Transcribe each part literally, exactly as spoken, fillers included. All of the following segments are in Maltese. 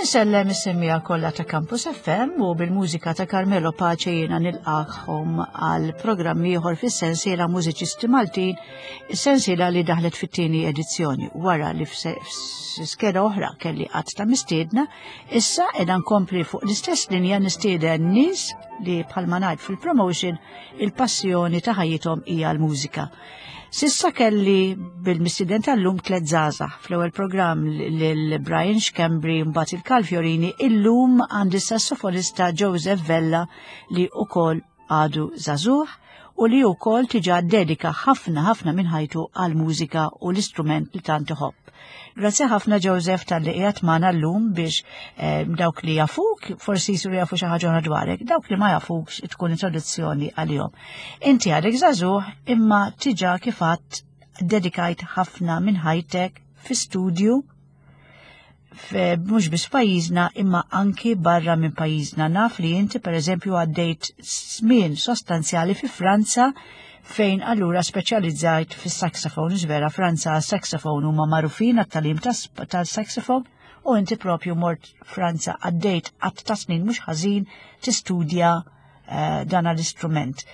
Insellem is-semmiegħa kollha ta' Campus F M u bil-mużika ta' Carmelo Pace jiena nilqagħkom għal programm ieħor fis-sensiela Mużiċisti Maltin, is-sensiela li daħlet fit-tieni edizzjoni wara li f'skeda oħra kelli qatt ta' mistiedna, issa qiegħda nkompli fuq l-istess linja, nistieden nies li, bħalma ngħid fil-promotion, il-passjoni ta' ħajjithom hija l-mużika. S'issa kelli bil-mistieden tal-lum tliet żgħażagħ. Fl-ewwel programm lil Brian Schembri, mbagħad il-Karl Fiorini, illum għandi sassofonista Joseph Vella li ukoll għadu żagħżugħ u li ukoll diġà dedika ħafna ħafna minn ħajtu għal-mużika u l-istrument li tant iħobb. Grazzi ħafna, Joseph, talli qiegħed magħna llum biex eh, dawk li jafuk forsi jsiru jafu xi ħaġa dwarek, dawk li ma jafuk tkun introduzzjoni għalihom. Inti għadek żagħżugħ imma diġà kif għedt dedikajt ħafna minn ħajtek fi studju mhux biss pajjiżna imma anki barra minn pajjiżna. Naf li inti, per eżempju, għaddejt żmien sostanzjali fi Franza fejn allura speċjalizzajt fis saxophone. Vera, Franza saxophone huma magħrufin għat-tagħlim tal-saxophone u inti propju mort Franza, għaddejt għadd ta' snin mhux ħażin tistudja uh, dan l-istrument.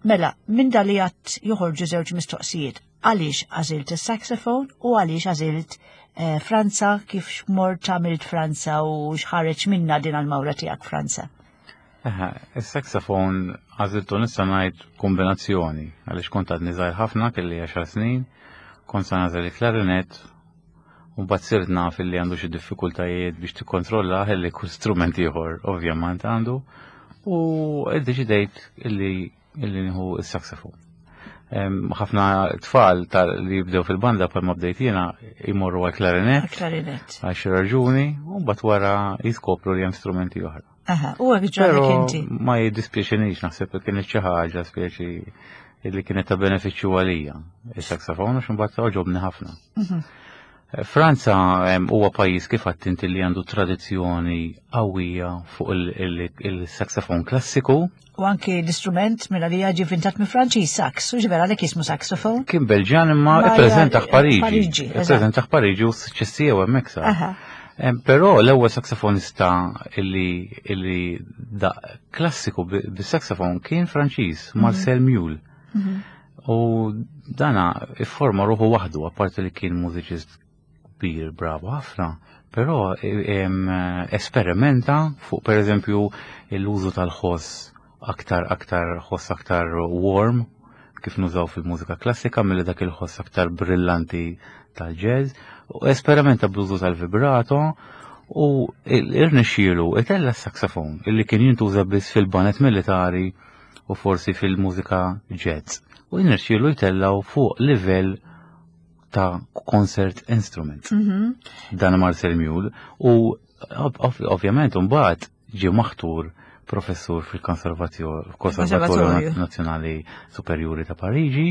Mela, minn dan li għedt joħorġu żewġ mistoqsijiet. Għaliex għażilt il-saxophone u għaliex għażilt eh, Franza, kif mort għamilt Franza u x'ħareġ minna din għal-mawra tiegħek Franza? Il-saxophone għażiltu, nista' ngħid, kombinazzjoni, għaliex kont għadni żgħir ħafna, kelli għaxar snin, kont sa nagħżel il-klarinet, u mbagħad sirt naf li għandu xi diffikultajiet biex tikkontrolla li kull strument ieħor ovvjament għandu, u iddeċidejt illi illi nieħu is-saxophone. Ħafna tfal li jibdew fil-banda, bħal ma bdejt jiena, jmorru għal klarinet. Klarinet. Għal xi raġuni, u mbagħad wara jiskopru li hemm strumenti oħra. Aha, u hekk ġralek inti. Ma jiddispjaċinix, naħseb li kienet xi ħaġa speċi li kienet ta' benefiċċju għalija. Is-saxophone, għax imbagħad għoġobni ħafna. Mhm. Franza huwa pajjiż, kif għedt inti, li għandu tradizzjoni qawwija fuq il-saxophone klassiku. U anki l-istrument mela li ġie vintat minn Franċiż, sax, u ġivera li jismu saxophone. Kien Belġan imma ippreżentah Pariġi. Pariġi. Ippreżentah Pariġi u suċċess tiegħu hemmhekk sar. Però l-ewwel saxofonista illi illi daqq klassiku bis-saxophone kien Franċiż, mhm. Marcel Mule. Mhm. U dana ifforma ruħu waħdu, apparti li kien mużiċist kbir, bravo ħafna, però esperimenta fuq, per eżempju, l-użu tal-ħoss aktar aktar ħoss aktar warm kif nużaw fil-mużika klassika milli dak il-ħoss aktar brillanti tal-jazz, u esperimenta bl-użu tal-vibrato u irnexxielu itella s-saxophone illi kien jintuża biss fil-baned militari u forsi fil-mużika jazz. U irnexxielu jtellaw fuq livell ta' concert instrument. Mhm. Dan Marcel Mule u ovvjament mbagħad ġie maħtur professur fil-Konservatorju Konservatorju. Nazzjonali Superjuri ta' Pariġi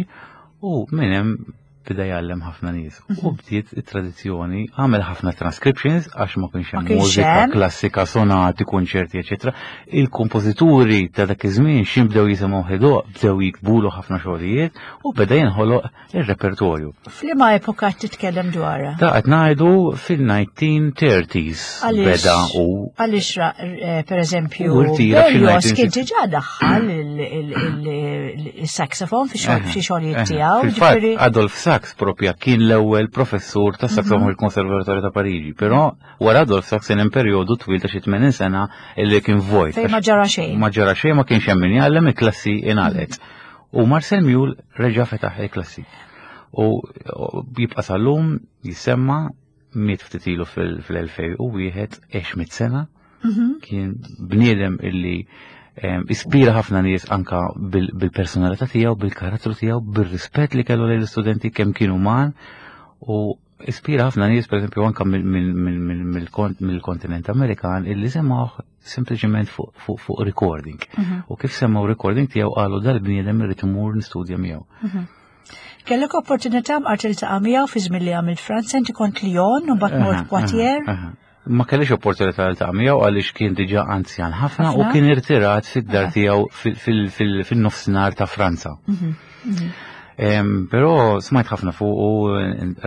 u minn hemm bida jgħallem ħafna nies. U bdiet it-tradizzjoni, għamel ħafna transcriptions għax ma kienx Ma hemm kienx mużika hemm. klassika, sonati, konċerti, eċetera. Il-kompożituri ta' dak iż-żmien xi bdew jisimgħu ħidoq, bdew jiktbulu ħafna xogħlijiet u beda jinħoloq ir-repertorju. F'liema epoka titkellem dwarha? Ta' qed ngħidu fil-nineteen thirties Għaliex- beda u Għaliex ra- eh, per eżempju, U rtira f'xi Berlioz nineteen sixty kien diġà daħħal il-saxophone fi xogħol- fi xogħlijiet tiegħu. Fil-fatt, Ġifieri Adolf Sax propja kien l-ewwel professur ta' saxophone fil-Konservatorju ta' Pariġi, però wara Adolf Sax kien hemm perjodu twil ta' xi tmenin sena illi kien vojt. Fejn ma ġara xejn. Ma ġara xejn, ma kienx hemm min jgħallem, il-klassi ingħalqet. U Marcel Mule reġa' fetaħ il-klassi. U u jibqa' sal-lum jisemma, miet ftit ilu fil-elfejn u wieħed, għex mitt sena, Mhm. kien bniedem illi em, ispira ħafna nies anka bil- bil-personalità tiegħu, bil-karattru tiegħu, bil-rispett li kellu lejn l-istudenti, kemm kien uman, u ispira ħafna nies, pereżempju, anka mill- mill- mill- mill- mill-kont- mill-kontinent Amerikan illi semgħuh sempliċement fuq fuq fuq recording. Mhm. U kif semgħu recording tiegħu qalu: "Dal-bniedem irrid imur nistudja miegħu." Kellek opportunità mqar tiltaqa' miegħu fi żmien li għamilt Franza? Inti kont Lyon u mbagħad mort Aha, Poitiers. Aha, aha. Ma kellix opportunità li niltaqa' miegħu għaliex kien diġà anzjan ħafna u Ħafna? kien irtirat fid-dar Aha. tiegħu fil- fil- fil- fin-nofsinhar ta' Franza. Mhm, mhm. Però smajt ħafna fuq u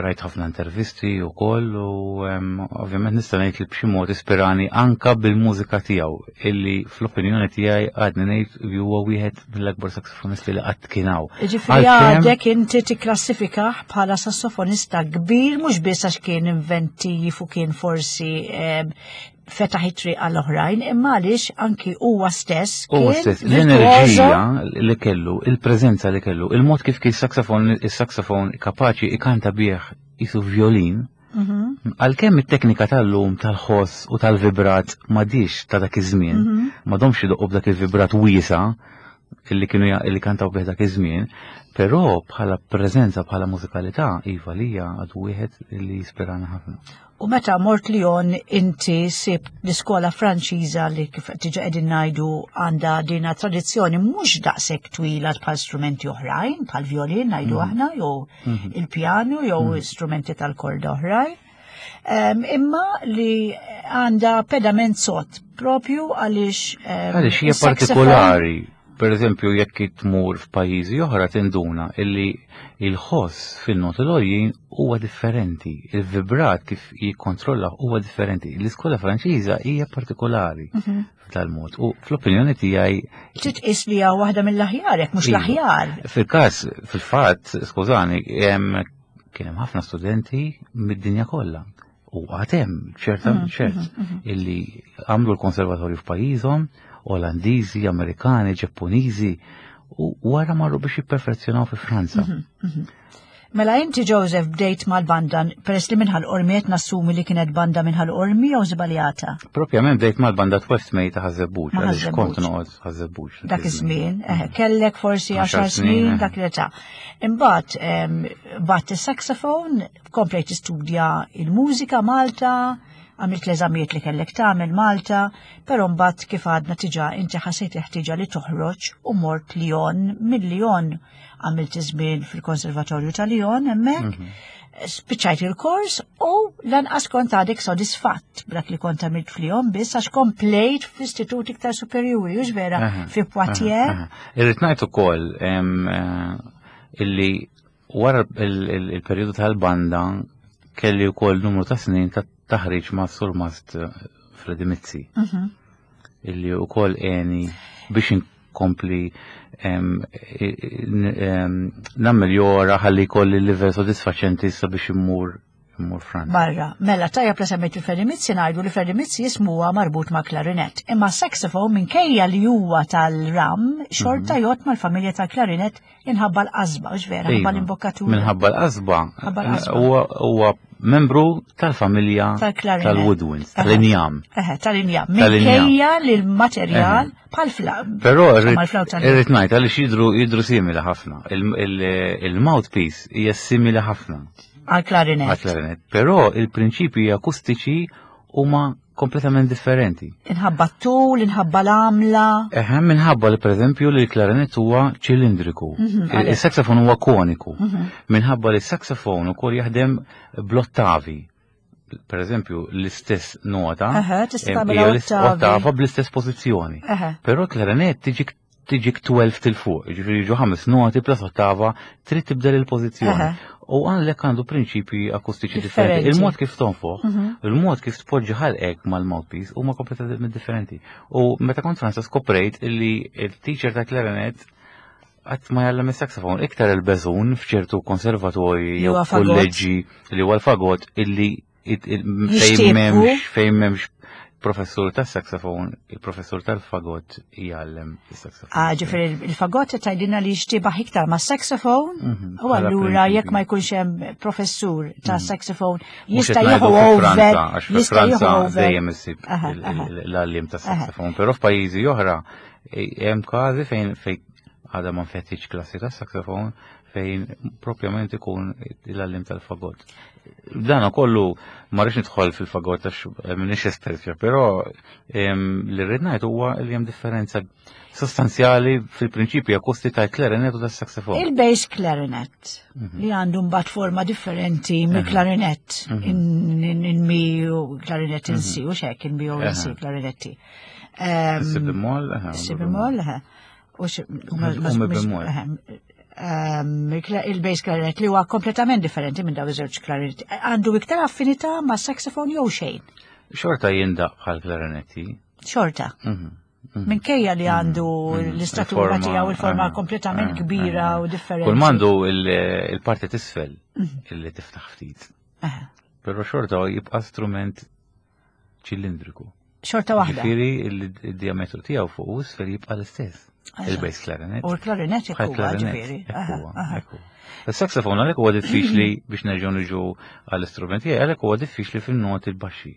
rajt ħafna intervisti u koll u ovvjament nista' ngħid li b'xi mod ispirani anka bil-mużika tiegħu illi fl-opinjoni tiegħi għadni ngħid li huwa wieħed mill-akbar saksofonisti li qatt kien hawn. Ġifieri għadek inti tikklassifikah bħala sassofonista kbir mhux biss għax kien inventiv u kien forsi fetaħ it-triq għall-oħrajn, imma għaliex anki huwa stess Huwa stess, l-enerġija li kellu, il-preżenza li kellu, il-mod kif kien saxofon, il-saxofon kapaċi ikanta bih qisu violin, mhm. għalkemm it-teknika tal-lum tal-ħoss u tal-vibrat m'għadhiex ta' dak iż-żmien, mhm. m'għadhomx idoqqu b'dak il-vibrat wiesa' illi kienu illi kantaw bih dak iż-żmien, però bħala preżenza, bħala mużikalità, iva lija għadu wieħed li jispirana ħafna. U meta mort Lyon inti sib l-iskola Franċiża li kif diġà qegħdin ngħidu għandha dina tradizzjoni mhux daqshekk twila bħal strumenti oħrajn, bħal violin ngħidu mhm. aħna, jew mhm. il-pjanu jew mhm. strumenti tal-korda oħrajn. Imma li għandha pedament sod propju għaliex għaliex hija partikolari. Per eżempju, jekk tmur f'pajjiżi oħra tinduna illi il-ħoss fil-noti l huwa differenti, il-vibrat kif jikkontrolla huwa differenti. L-iskola Franċiża hija partikolari mhm. f'dal-mod. U fl-opinjoni tiegħi Titqis li hija waħda mill-aħjar, jekk mhux l-aħjar. Fil-każ, fil-fatt, skużani, kien hemm ħafna studenti mid-dinja kollha. U għad hemm ċerta mhm, ċert mhm, illi għamlu l-konservatorju f'pajjiżhom, Olandiżi, Amerikani, Ġappuniżi, u wara marru biex jipperfezzjonaw fi Franza. Mhm, mhm. Mela inti Joseph bdejt mal-banda, peress li minn Ħal Qormi qed nassumi li kienet banda minn Ħal Qormi jew żbaljata? Propjament bdejt mal-banda Twelfth May ta' Ħaż-Żebbuġ, għaliex kont noqgħod Ħaż-Żebbuġ. Dak iż-żmien, eh, kellek forsi għaxar snin dak l-età. Imbagħad bat is-saxophone, komplejt tistudja il-mużika Malta, għamilt l-eżamijiet li kellek tagħmel Malta, però mbagħad kif għadna diġà inti ħassejt ħtiġa li toħroġ u mort Lyon, minn Lyon għamilt żmien fil-Konservatorju ta' Lyon hemmhekk. Mhm. Spiċċajt il-kors u lanqas kont għadek sodisfatt b'dak li kont għamilt f'Lyon biss għax komplejt fl-istitut iktar superjuri, hux vera, fi Poitiers. Irrid ngħid ukoll eh, illi wara il-perjodu tal-banda kelli wkoll numru ta' snin ta' taħriġ ma' Surmast eh, Freddy Mizzi. Mhm. Illi wkoll għeni biex inkompli nammeljora ħalli jkolli livell sodisfaċenti sabiex immur immur Franza. Barra, mela tajjeb li semmejt il-Freddy Mizzi ngħidu li Freddy Mizzi jismu huwa marbut ma' klarinet. Imma saxophone minkejja li huwa tal-ram xorta mhm. jgħod mal-familja tal-klarinet inħabba l-qasba, hux vera, ħabba l-imbokkatura. Minħabba l-qasba. Huwa membru tal-familja tal-woodwinds, tal-injam. Tal-injam. Minkejja li l-materjal bħal flawt. Però irrid ngħid għaliex jidru jidru simili ħafna. Il-mouthpiece hija simili ħafna. Għal-klarinet. Għal-klarinet. Però il-prinċipji akustiċi huma kompletament differenti. Inħabba t-tul, inħabba l-għamla. Eħe, minħabba li pereżempju li l-klarinet huwa ċilindriku. Mhm, Il-saxofon huwa koniku. Mhm. Minħabba li s-saxofon ukoll jaħdem bl-ottavi. Per eżempju, l-istess nota. Ottava bl-istess pożizzjoni. Però l-klarinet tiġi tiġik tnax 'il fuq, ġifieri ġu ħames noti plus ottava, trid tibdel il-pożizzjoni. U għalhekk għandu prinċipji akustiċi differenti. Il-mod kif tonfoħ, mhm. il-mod kif tpoġġi ħalqek mal-mouthpiece huma kompletament differenti. U meta kont Franza skoprejt illi il-teacher ta' clarinet qatt ma jgħallem is-saxophone, iktar il-beżun f'ċertu konservatorji jew kolleġġi li huwa l-fagot illi fejn m'hemmx fejn m'hemmx professur tas saxophone, il-professur tal-fagot jgħallem il-saxophone. Ah, ġifieri il-fagot tgħidilna li jixtiebaħ iktar ma' saxophone, mhm, u allura jekk ma jkunx hemm professur ta' mhm. saxophone jista' jieħu over. Għax fi Franza dejjem issib l-għallim ta' saxophone, però f'pajjiżi oħra hemm każi fejn fejn għadha ma nfetħitx klassi ta' saxophone fejn propjament ikun l-għallim tal-fagot. Dan kollu ma rridx nidħol fil-fagot għax m'iniex espert, però li rrid ngħid huwa li hemm differenza sostanzjali fil-prinċipji akusti tal-klarinet u tas-saxophone. Il-bass clarinet mhm. li għandu mbagħad forma differenti mill-klarinet mhm. in mi u klarinet in si u xek in mi u in si klarinetti. Si bemol, Si bemol, U mi bemol. Ehm, il-bass clarinet li huwa kompletament differenti minn daw iż-żewġ klarinetti. Għandu iktar affinità ma' saxophone jew xejn? Xorta jindaq bħal klarinetti. Xorta. Mhm, mhm. Minkejja li għandu Mhm. l-istatura Il-forma, tiegħu, il-forma eh, kompletament eh, kbira eh. u differenti. Kull m'għandu il-parti t'isfel illi tiftaħ ftit. Eh, Però xorta jibqa' strument ċilindriku. Xorta waħda. Ġifieri il-diametru tiegħu fuq u isfel jibqa' l-istess. Eżatt. Il-bass clarinet. U l-klarinet Bħal hekk huwa clarinet, ġifieri. hekk Aha, huwa, aha. hekk huwa. Il-saxophone għalhekk huwa diffiċli biex nerġgħu niġu għall-istrumenti, għalhekk huwa diffiċli fin-noti l-baxxi.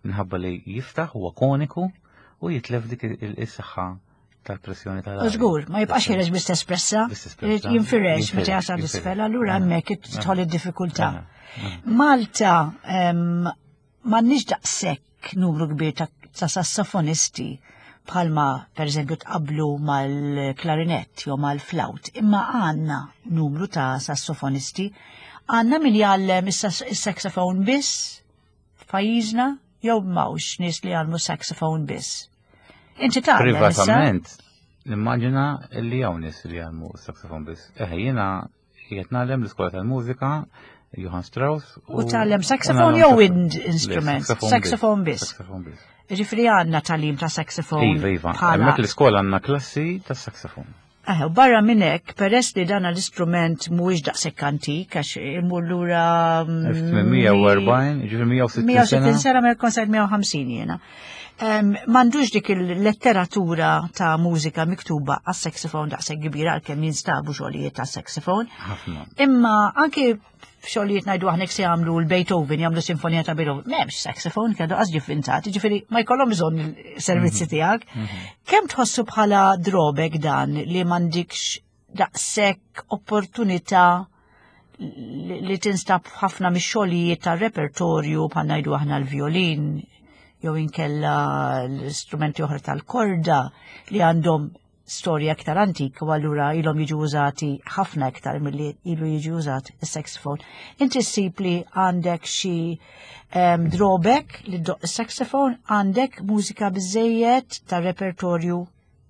Minħabba li jiftaħ huwa koniku u jitlef dik il-saħħa tal-pressjoni tal Żgur, ma jibqax ħireġ bl-istess pressa, Bl-istess pressa. jinfirex meta Jinfirex, jasal jinfirex. isfel, allura Aha. hemmhekk tidħol id-diffikultà. Aha, aha. Malta em, m'għandniex daqshekk numru kbir ta' ta' sassofonisti bħalma per eżempju tqablu mal-klarinett jew mal-flaut, imma għandna numru ta' sassofonisti. Għandna min jgħallem is-saxophone biss f'pajjiżna jew m'hawnx nies li jgħallmu saxophone biss. Inti tgħallem issa? Privatament, nimmaġina li hawn nies li jgħallmu saxophone biss. Eħe, jiena qiegħed ngħallem l-iskola tal-mużika, Johann Strauss. U tgħallem saxophone jew wind instrument? Saxophone biss. Saxophone biss. Ġifieri għandna tagħlim ta' saxophone. Iva, iva. bħala- Hemmhekk l-iskola għandna klassi ta' saxophone. Eh, u barra minn hekk, peress li dan l-istrument mhuwiex daqshekk antik, għax imur lura mm, elf tmien mija u erbgħin, ġifieri mija u sittin mija u sittin sena. sena, ma jkun sajt mija u ħamsin jiena. Um, M'għandux dik il-letteratura ta' mużika miktuba għas saxophone daqshekk kbira, għalkemm jinstabu xogħlijiet ta' saxophone. Ħafna. Imma anke xogħlijiet, ngħidu aħna se jagħmlu l-Beethoven, jagħmlu sinfonija ta' Beethoven, m'hemmx saxophone, kienu qas ġifvintat, ġifieri ma jkollhom bżonn il-servizzi tiegħek. Kemm tħossu bħala drawback dan li m'għandikx daqshekk opportunità li li tinstab ħafna mix-xogħlijiet tar-repertorju, bħal ngħidu aħna l-violin jew inkella l-istrumenti oħra tal-korda li għandhom storja aktar antika u allura ilhom jiġu użati ħafna iktar milli ilu jiġi użat is-saxophone? Inti ssib li għandek xi um, drawback li ddoqq is-saxophone? Għandek mużika biżejjed tar-repertorju,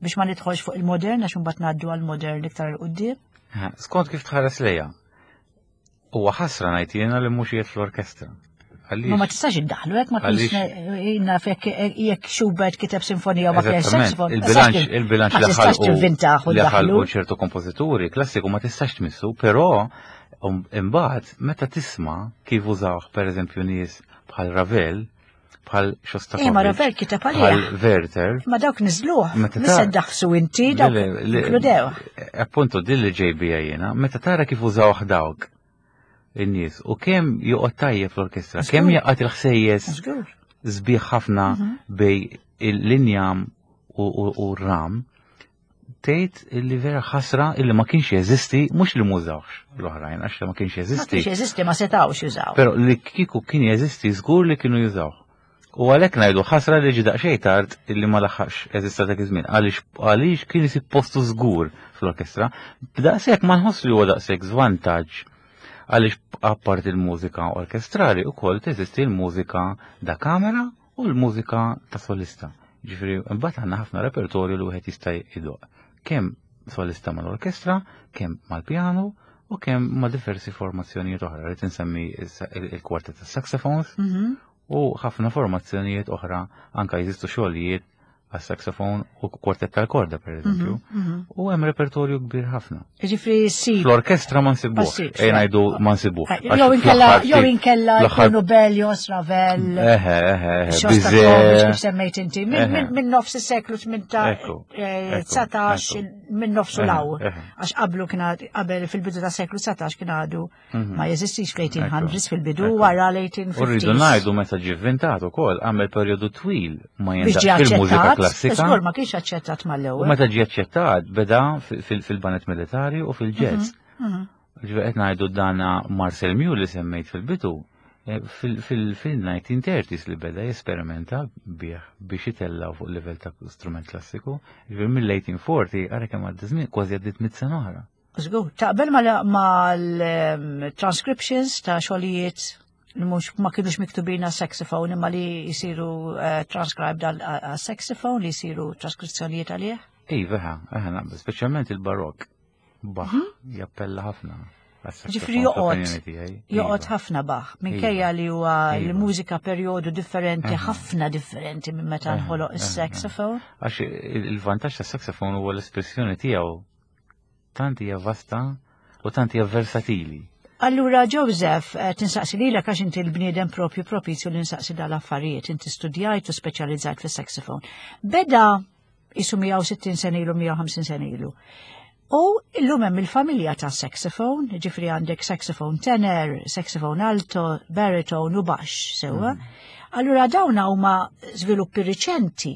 biex ma nidħolx fuq il-modern, għax imbagħad ngħaddu għall-modern iktar 'il quddiem? Ha, skont kif tħares lejha. Huwa ħasra ngħid jiena li mhux qiegħed fl-orkestra. Għaliex? Ma ma tistax iddaħlu hekk ma Għaliex? tkunx naf jekk jekk Schubert kiteb sinfonija u ma kienx Eżattament, saxophone. il-bilanċ il-bilanċ ma li tistax ħalqu tivvintaħ u li ħalqu ddaħlu. ċertu kompożituri klassiku ma tistax tmissu, però um, imbagħad meta tisma' kif użawh, pereżempju, nies bħal Ravel, bħal Shostakovich, Eh, ma Ravel kiteb bħal għalih. Werther. Ma dawk niżluh, Meta missa ta- daħsu inti, dawk Le, le, inkludew. Appunto, din li ġej bija jiena, meta tara kif użawh dawk in-nies u kemm joqgħod tajjeb fl-orkestra, kemm Żgur. jaqgħad il-ħsejjes Żgur. sbieħ ħafna Mhm. bejn il-linjam u, u, u r-ram, tgħid illi vera ħasra illi ma kienx jeżisti, mhux li mużawx l-oħrajn, għax li ma kienx Ma jeżisti. kienx jeżisti, ma setawx jużaw. Però li kieku kien jeżisti, żgur li kienu jużaw. U għalhekk ngħidu ħasra li ġi daqsxejn tard illi ma laħaqx eżista dak iż-żmien. Għaliex għaliex kien isib postu żgur fl-orkestra. B'daqshekk ma nħoss li huwa daqshekk żvantaġġ, għaliex apart il-mużika orkestrali ukoll teżisti l-mużika da kamera u l-mużika ta' solista. Ġifieri mbagħad għandna ħafna repertorju li wieħed jista' jdoqq. Kemm solista mal-orkestra, kemm mal-pjanu u kemm ma' diversi formazzjonijiet oħra. Rrid insemmi il-kwartet tas saxophones Mhm. u ħafna formazzjonijiet oħra, anka jeżistu xogħlijiet għas-saxophone u kwartet tal-korda, per eżempju. Mhm. U hemm repertorju kbir ħafna. Ġifieri sib. Fl-orkestra ma Ma nsibuh. ssibx, Ejja le. ngħidu ma nsibuh. Għax Jew inkella fl-aħħar jew ftit- inkella fl-aħħar- jkunu Berlioz, Ravel, Eħe, eħe, eħe, Shostakovich, kif Bizet. semmejt inti, Eħe. minn min, min nofs is-seklu tmintax, Ekku, eh, ekku, dsatax, ekku. minn nofsu Eħe, law. eħe. Għax qablu kien għad- qabel fil-bidu ta' seklu dsatax kien għadu Mhm. ma jeżistix fl-eighteen hundreds fil-bidu, Ekku. wara U rridu l-eighteen fifties. ngħidu meta ġie vvintat ukoll għamel perjodu twil ma Biex ġie jindaqx fil-mużika aċċettat, klassika. żgur ma kienx aċċettat U mal-ewwel. meta ġie aċċettat beda fil- fil-baned militari u fil-jazz. Mhm. Ġifieri qed ngħidu dana Marcel Mule li semmejt fil-bidu, eh, fil-nineteen thirties li beda jesperimenta bih biex itellaw fuq livell ta' strument klassiku. Ġifieri mill-eighteen forty, ara kemm għadda żmien, kważi għaddiet mitt sena oħra. Żgur, taqbel mal-transcriptions ta' xogħlijiet li mhux ma kienux miktubin għas saxophone imma li jisiru eh, transcribed għal saxophone, li jisiru traskrizzjonijiet għalih? Iva, eħe, eħe, naqbel, speċjalment il-barok. Bach jappella ħafna. Ġifieri joqgħod joqgħod ħafna Bach, minkejja li huwa l-mużika perjodu differenti, ħafna differenti minn meta nħoloq is-saxophone. Għax il-vantaġġ tas-saxophone huwa l-espressjoni tiegħu tant hija vasta u tant hija versatili. Allura Joseph, tinsaqsi lilek għax inti l-bniedem propju propizju li nsaqsi dal-affarijiet, inti studjajt u speċjalizzajt fis-saxophone. Beda isu mija u sittin sena ilu, mija u ħamsin sena ilu. U illum hemm il-familja ta' saxophone, ġifri għandek saxophone tenor, saxophone alto, baritone u baxx, sewwa. Allura dawna huma żviluppi riċenti,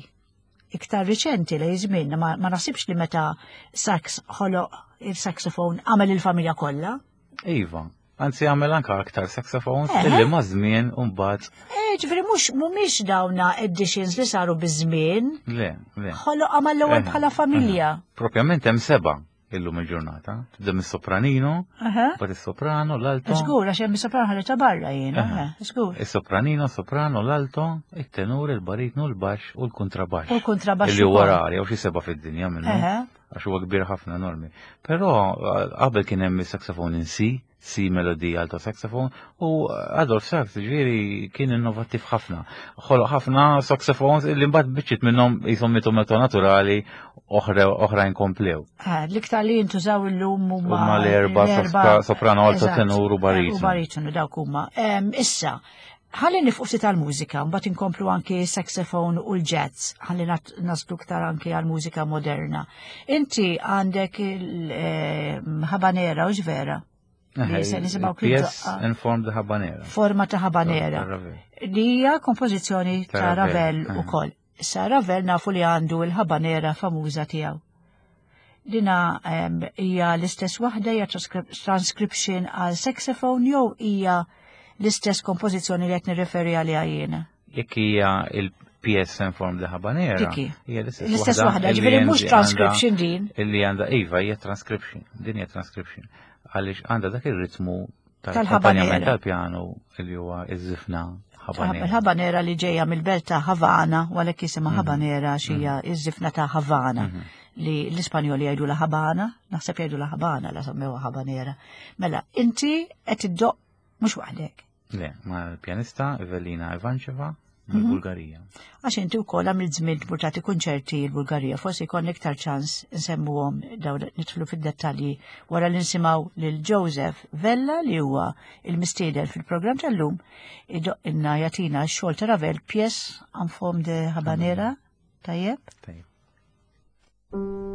iktar riċenti li żmien, ma, ma nasibx li meta sax ħoloq il-saxophone għamel il-familja kollha. Iva, anzi għamel anka aktar saxophones illi ma' żmien u mbagħad. Eh, ġifieri mhux mhumiex dawna editions li saru biż-żmien. Le, le. Ħoloq għamel l-ewwel bħala familja. Propjament hemm seba' illum il-ġurnata. Tibda mis-sopranino, mbagħad is-soprano, l-alto. Żgur, għax hemm is-soprano ħareġha barra jiena, żgur. Is-sopranino, soprano, l-alto, it-tenur, il-baritnu, l-baxx u l-kontrabaxx. U l-kontrabaxx. Illi huwa rari, hawn xi seba' fid-dinja minnu. Għax huwa kbir ħafna enormi. Però qabel kien hemm is-saxophone in C, C melody alto saxophone, u Adolf Sax ġifieri kien innovattiv ħafna. Ħoloq ħafna saxophones li mbagħad biċċiet minnhom qishom mitu meta naturali oħrajn komplew. L-iktar li jintużaw illum huma Huma l-erba' soprano, alto, tenur u baritonu. U baritonu dawk huma. Issa, ħalli nifqu ftit għall-mużika, mbagħad inkomplu anki saxophone u l-jazz, ħalli naslu iktar anki għall-mużika moderna. Inti għandek il-habanera u ġvera? Pièce in form de habanera. Forma ta' habanera. Li hija kompożizzjoni ta' Ravel ukoll. Issa Ravel nafu li għandu il-habanera famuża tiegħu. Dina hija l-istess waħda, hija transcription għal saxophone jew hija l-istess kompożizzjoni li qed nirreferi għaliha jiena? Jekk hija il-pièce in form de habanera, hija l-istess waħda, ġifieri mhux transcription din. Illi għandha iva hija transcription, din hija transcription. Għaliex għandha dak ir-ritmu tal-akkompanjament tal-pjanu li huwa iż-żifna habanera. Il-habanera li ġejja mill-belt ta' Havana, u għalhekk jisimha habanera għax hija iż-żifna ta' Havana li l-Ispanjoli jgħidu la Habana, naħseb jgħidu la Habana la semmewha habanera. Mela, inti qed iddoq mhux waħdek. Le, ma' l-pjanista Evelina Ivancheva mill-Bulgarija. Għax inti wkoll għamilt żmien tmur tagħti kunċerti l-Bulgarija, forsi jkollna iktar ċans nsemmuhom dawn nidħlu fid-dettalji wara li nsimgħu lil Joseph Vella li huwa il-mistieden fil-programm tal-lum idoqilna jagħtina x-xogħol ta' Ravel pièce en forme de habanera. Tajjeb? Tajjeb. Thank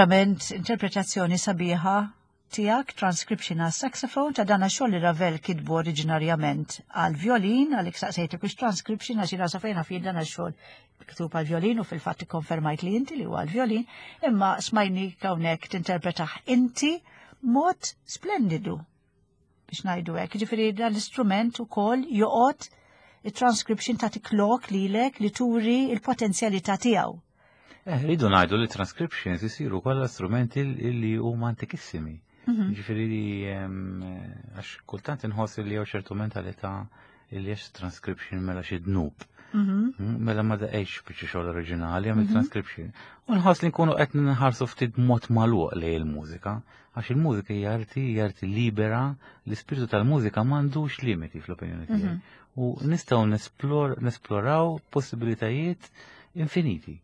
Verament interpretazzjoni sabiħa tiegħek, transcription għal saxophone ta' dana xogħol li Ravel kitbu oriġinarjament għal violin, għalhekk saqsejtek biex transcription għax jiena sa fejn naf dana xogħol miktub għal violin u fil-fatt ikkonfermajt li inti li huwa għal violin, imma smajni hawnhekk tinterpretah inti mod splendidu biex ngħidu hekk. Ġifieri dan l-istrument ukoll joqgħod il-transcription ta' tiklok lilek li turi il-potenzjalità tiegħu. Eh, rridu ngħidu li transcriptions isiru kollha strumenti li huma antikissimi. Mhm. Ġifieri li em, għax kultant inħoss li jew ċertu mentalità li għax transcription mela xi dnub. Mhm. Mm, Mela ma daqqejx biċċa xogħol oriġinali għamil transcription. U nħoss li nkunu qed nħarsu ftit mod magħluq lejn il-mużika, għax il-mużika hija arti, hija arti libera, l-ispirtu tal-mużika m'għandux limiti fl-opinjoni tiegħi. U nistgħu nesplor, nesploraw possibilitajiet infiniti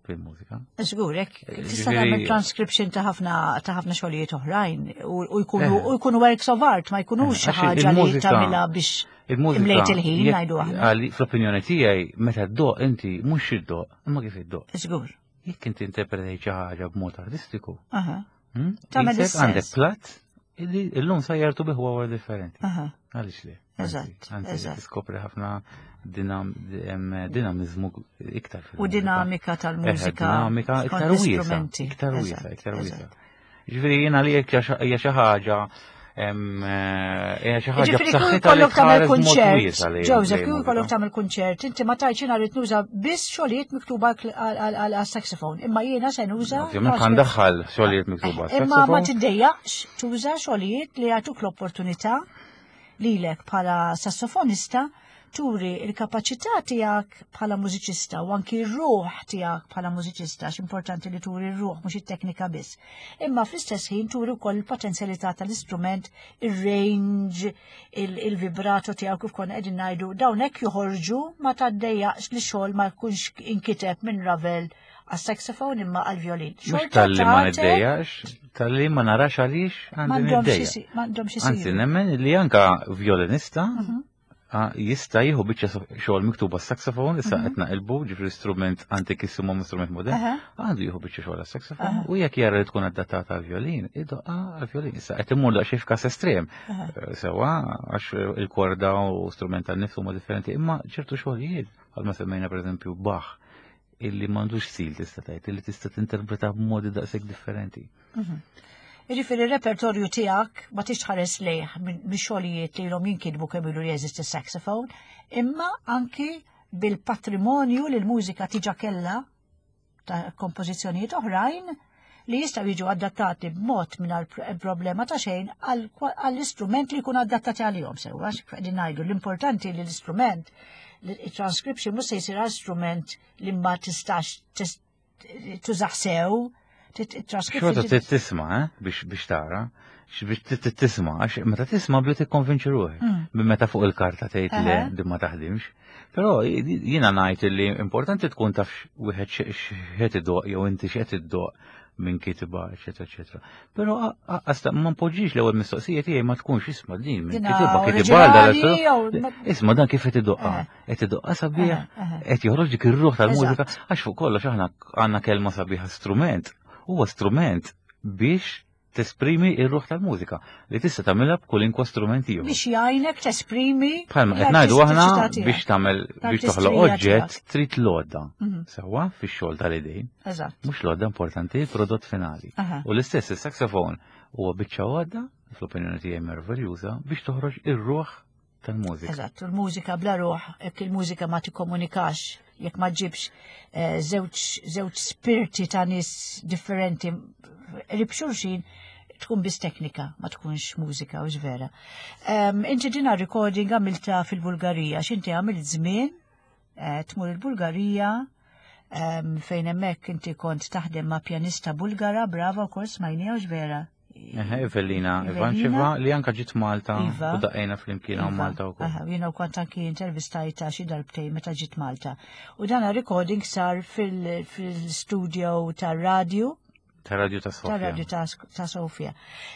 fil-mużika. Żgur, hekk tista' Ġifieri- tagħmel transcription ta' ħafna ta' ħafna xogħlijiet oħrajn u u jkunu Eh. u jkunu works of art, ma jkunux xi Eh, għax ħaġa li il-mużika- tagħmilha biex Il-mużika. imlejt il-ħin jekk- ngħidu aħna. għali- Fl-opinjoni tiegħi meta ddoqq inti mhux iddoqq, imma kif iddoqq. Żgur. Jekk inti interpretajt xi ħaġa b'mod artistiku, Aha. hmm, Tagħmel qisek is-sens. għandek platt illi illum sajjartu bih huwa differenti. Aha. Għaliex le? Eżatt, Anzi, eżatt. tiskopri ħafna dinam, em, dinamizmu iktar U fil-mużika. dinamika tal-mużika. Eh, dinamika skont iktar wiesa, l-istrumenti. iktar wiesa, Eżatt, iktar wiesa. eżatt. Ġifieri jiena li jekk hija xi ħaġa em, eh, hija xi ħaġa Ġifieri kieku b'saħħitha li jkollok tagħmel tħares mod kunċert, wiesa lejn- Joseph, lejn kieku jkollok mużika. tagħmel kunċert, inti ma tgħidx jiena rrid nuża biss xogħlijiet miktuba għal saxophone, imma jiena se nuża. Ovvjament ħa ndaħħal xogħlijiet miktuba Imma ma saxophone. tiddejjaqx tuża xogħlijiet li jagħtuk l-opportunità lilek bħala sassofonista turi il-kapaċità tiegħek bħala mużiċista u anki r-ruħ tiegħek bħala mużiċista, x'importanti li turi r-ruħ mhux it-teknika biss. Imma fl-istess ħin turi wkoll il-potenzjalità tal-istrument, ir-range, il-vibrato tiegħek kif konna qegħdin ngħidu, dawn hekk joħorġu ma taddejjaqx li xogħol ma jkunx inkiteb minn Ravel għas-saxophone imma għal-violin. Mhux Xorta talli ma tagħtek niddejjax, talli ma narax għaliex għandi m'għandhomx niddejja. isi- m'għandhomx Anzi, isiru. nemmen li anka violinista Mhm. ah, jista' jieħu biċċa so- xogħol miktuba saxophone, issa qed naqilbu, ġifieri strument antikissimu ma' strument modern, Aha. għandu jieħu biċċa xogħol għas-saxophone u jekk jara li tkun adattata għal-violin, idoqqa għal-violin. Issa qed immur daqsxejn f'każ estrem. Aha. Eh, Sewa, għax il-korda u strument tan-nifs huma differenti, imma ċertu xogħlijiet, bħalma semmejna pereżempju Bach, illi m'għandux stil tista' tgħid, illi tista' tinterpreta b'modi daqshekk differenti. Jiġifieri il-repertorju tiegħek ma tix tħares lejh minn minn xogħlijiet li ilhom jinkitbu kemm ilu jeżisti saxophone, imma anki bil-patrimonju li l-mużika diġà kellha ta' kompożizzjonijiet oħrajn li jistgħu jiġu adattati b'mod mingħajr problema ta' xejn għal- għall-istrument li jkun adattati għalihom sewwa, għax qegħdin ngħidu l-importanti li l-istrument il-transcription mhux se jsir għal strument li ma tistax tis- tużah sew, Xorta trid tisma', eh, biex biex tara, x- biex trid tisma', għax meta tisma' bli tikkonvinċi ruħek. Mm. Minn meta fuq il-karta tgħid li Aha. din ma taħdimx. Però jiena ngħid li importanti tkun taf wieħed x'qed idoq jew inti x'qed iddoq minn kitba, eċetera, eċetera. Però għasta ma npoġġix l-ewwel mistoqsija tiegħi ma tkunx isma' din minn Dina kitba kitba oriġinali jew ma- Isma' dan kif qed idoqqa, Eh. qed idoqqa sabiħ, Aha, aha. qed joħroġ dik ir-ruħ tal-mużika, Eżatt. għax fuq kollox aħna għandna kelma sabiħa strument. Huwa strument biex tesprimi ir-ruħ tal-mużika li tista' tagħmilha b'kolinkwa strument ieħor. Biex jgħinek tesprimi Bħalma qed ngħidu aħna l-artistiċità tiegħek. biex tagħmel biex toħloq L-artistrija oġġett tiegħek. trid l-għodda. Mhm. Sewwa fix-xogħol tal-idejn, Eżatt. mhux l-għodda importanti, il-prodott finali. Aha. U l-istess is-saxophone huwa biċċa għodda, fl-opinjoni tiegħi meraviljuża, biex toħroġ ir-ruħ tal-mużika. Eżatt, u l-mużika bla ruħ, jekk il-mużika ma tikkomunikax, jekk ma ġibx eh, żewġ żewġ spirti ta' nies differenti qrib xulxin, tkun biss teknika, ma tkunx mużika u vera. Um, inti dina recording għamilta fil-Bulgarija, x'inti għamilt żmien eh, tmur il-Bulgarija um, fejn hemmhekk inti kont taħdem ma' pjanista Bulgara, brava wkoll smajnija u vera. Eħe, Evelina Ivancheva li anka ġiet Malta Iva. u daqqejna flimkien hawn Iva. Malta wkoll. Aha, jiena kont anki intervistajta xi darbtejn meta ġiet Malta. U dana recording sar fil-studio tar-radju, Ta' radju ta' Sofia. tar-radju ta' ta' Sofia.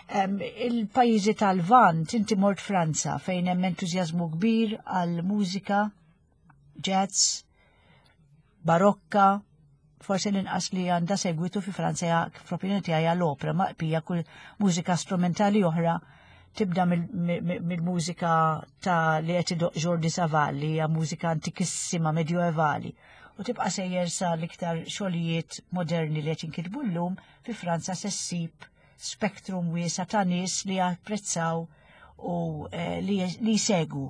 Em, Il-pajjiżi tal-Lvant, inti mort Franza, fejn hemm entużjażmu kbir għal mużika, jazz, barokka, Forsi l-inqas li għandha segwitu fi Franza, fl-opinjoni tiegħi, l-opera, ma pija kull mużika strumentali oħra tibda mill-mużika ta' li qed idoqq Jordi Savall, li hija mużika antikissima medjoevali, u tibqa' sejjer sa l-iktar xogħlijiet moderni li qed jinkitbu llum. Fi Franza se ssib spektrum wiesa' ta' nies li japprezzaw u eh, li jsegwu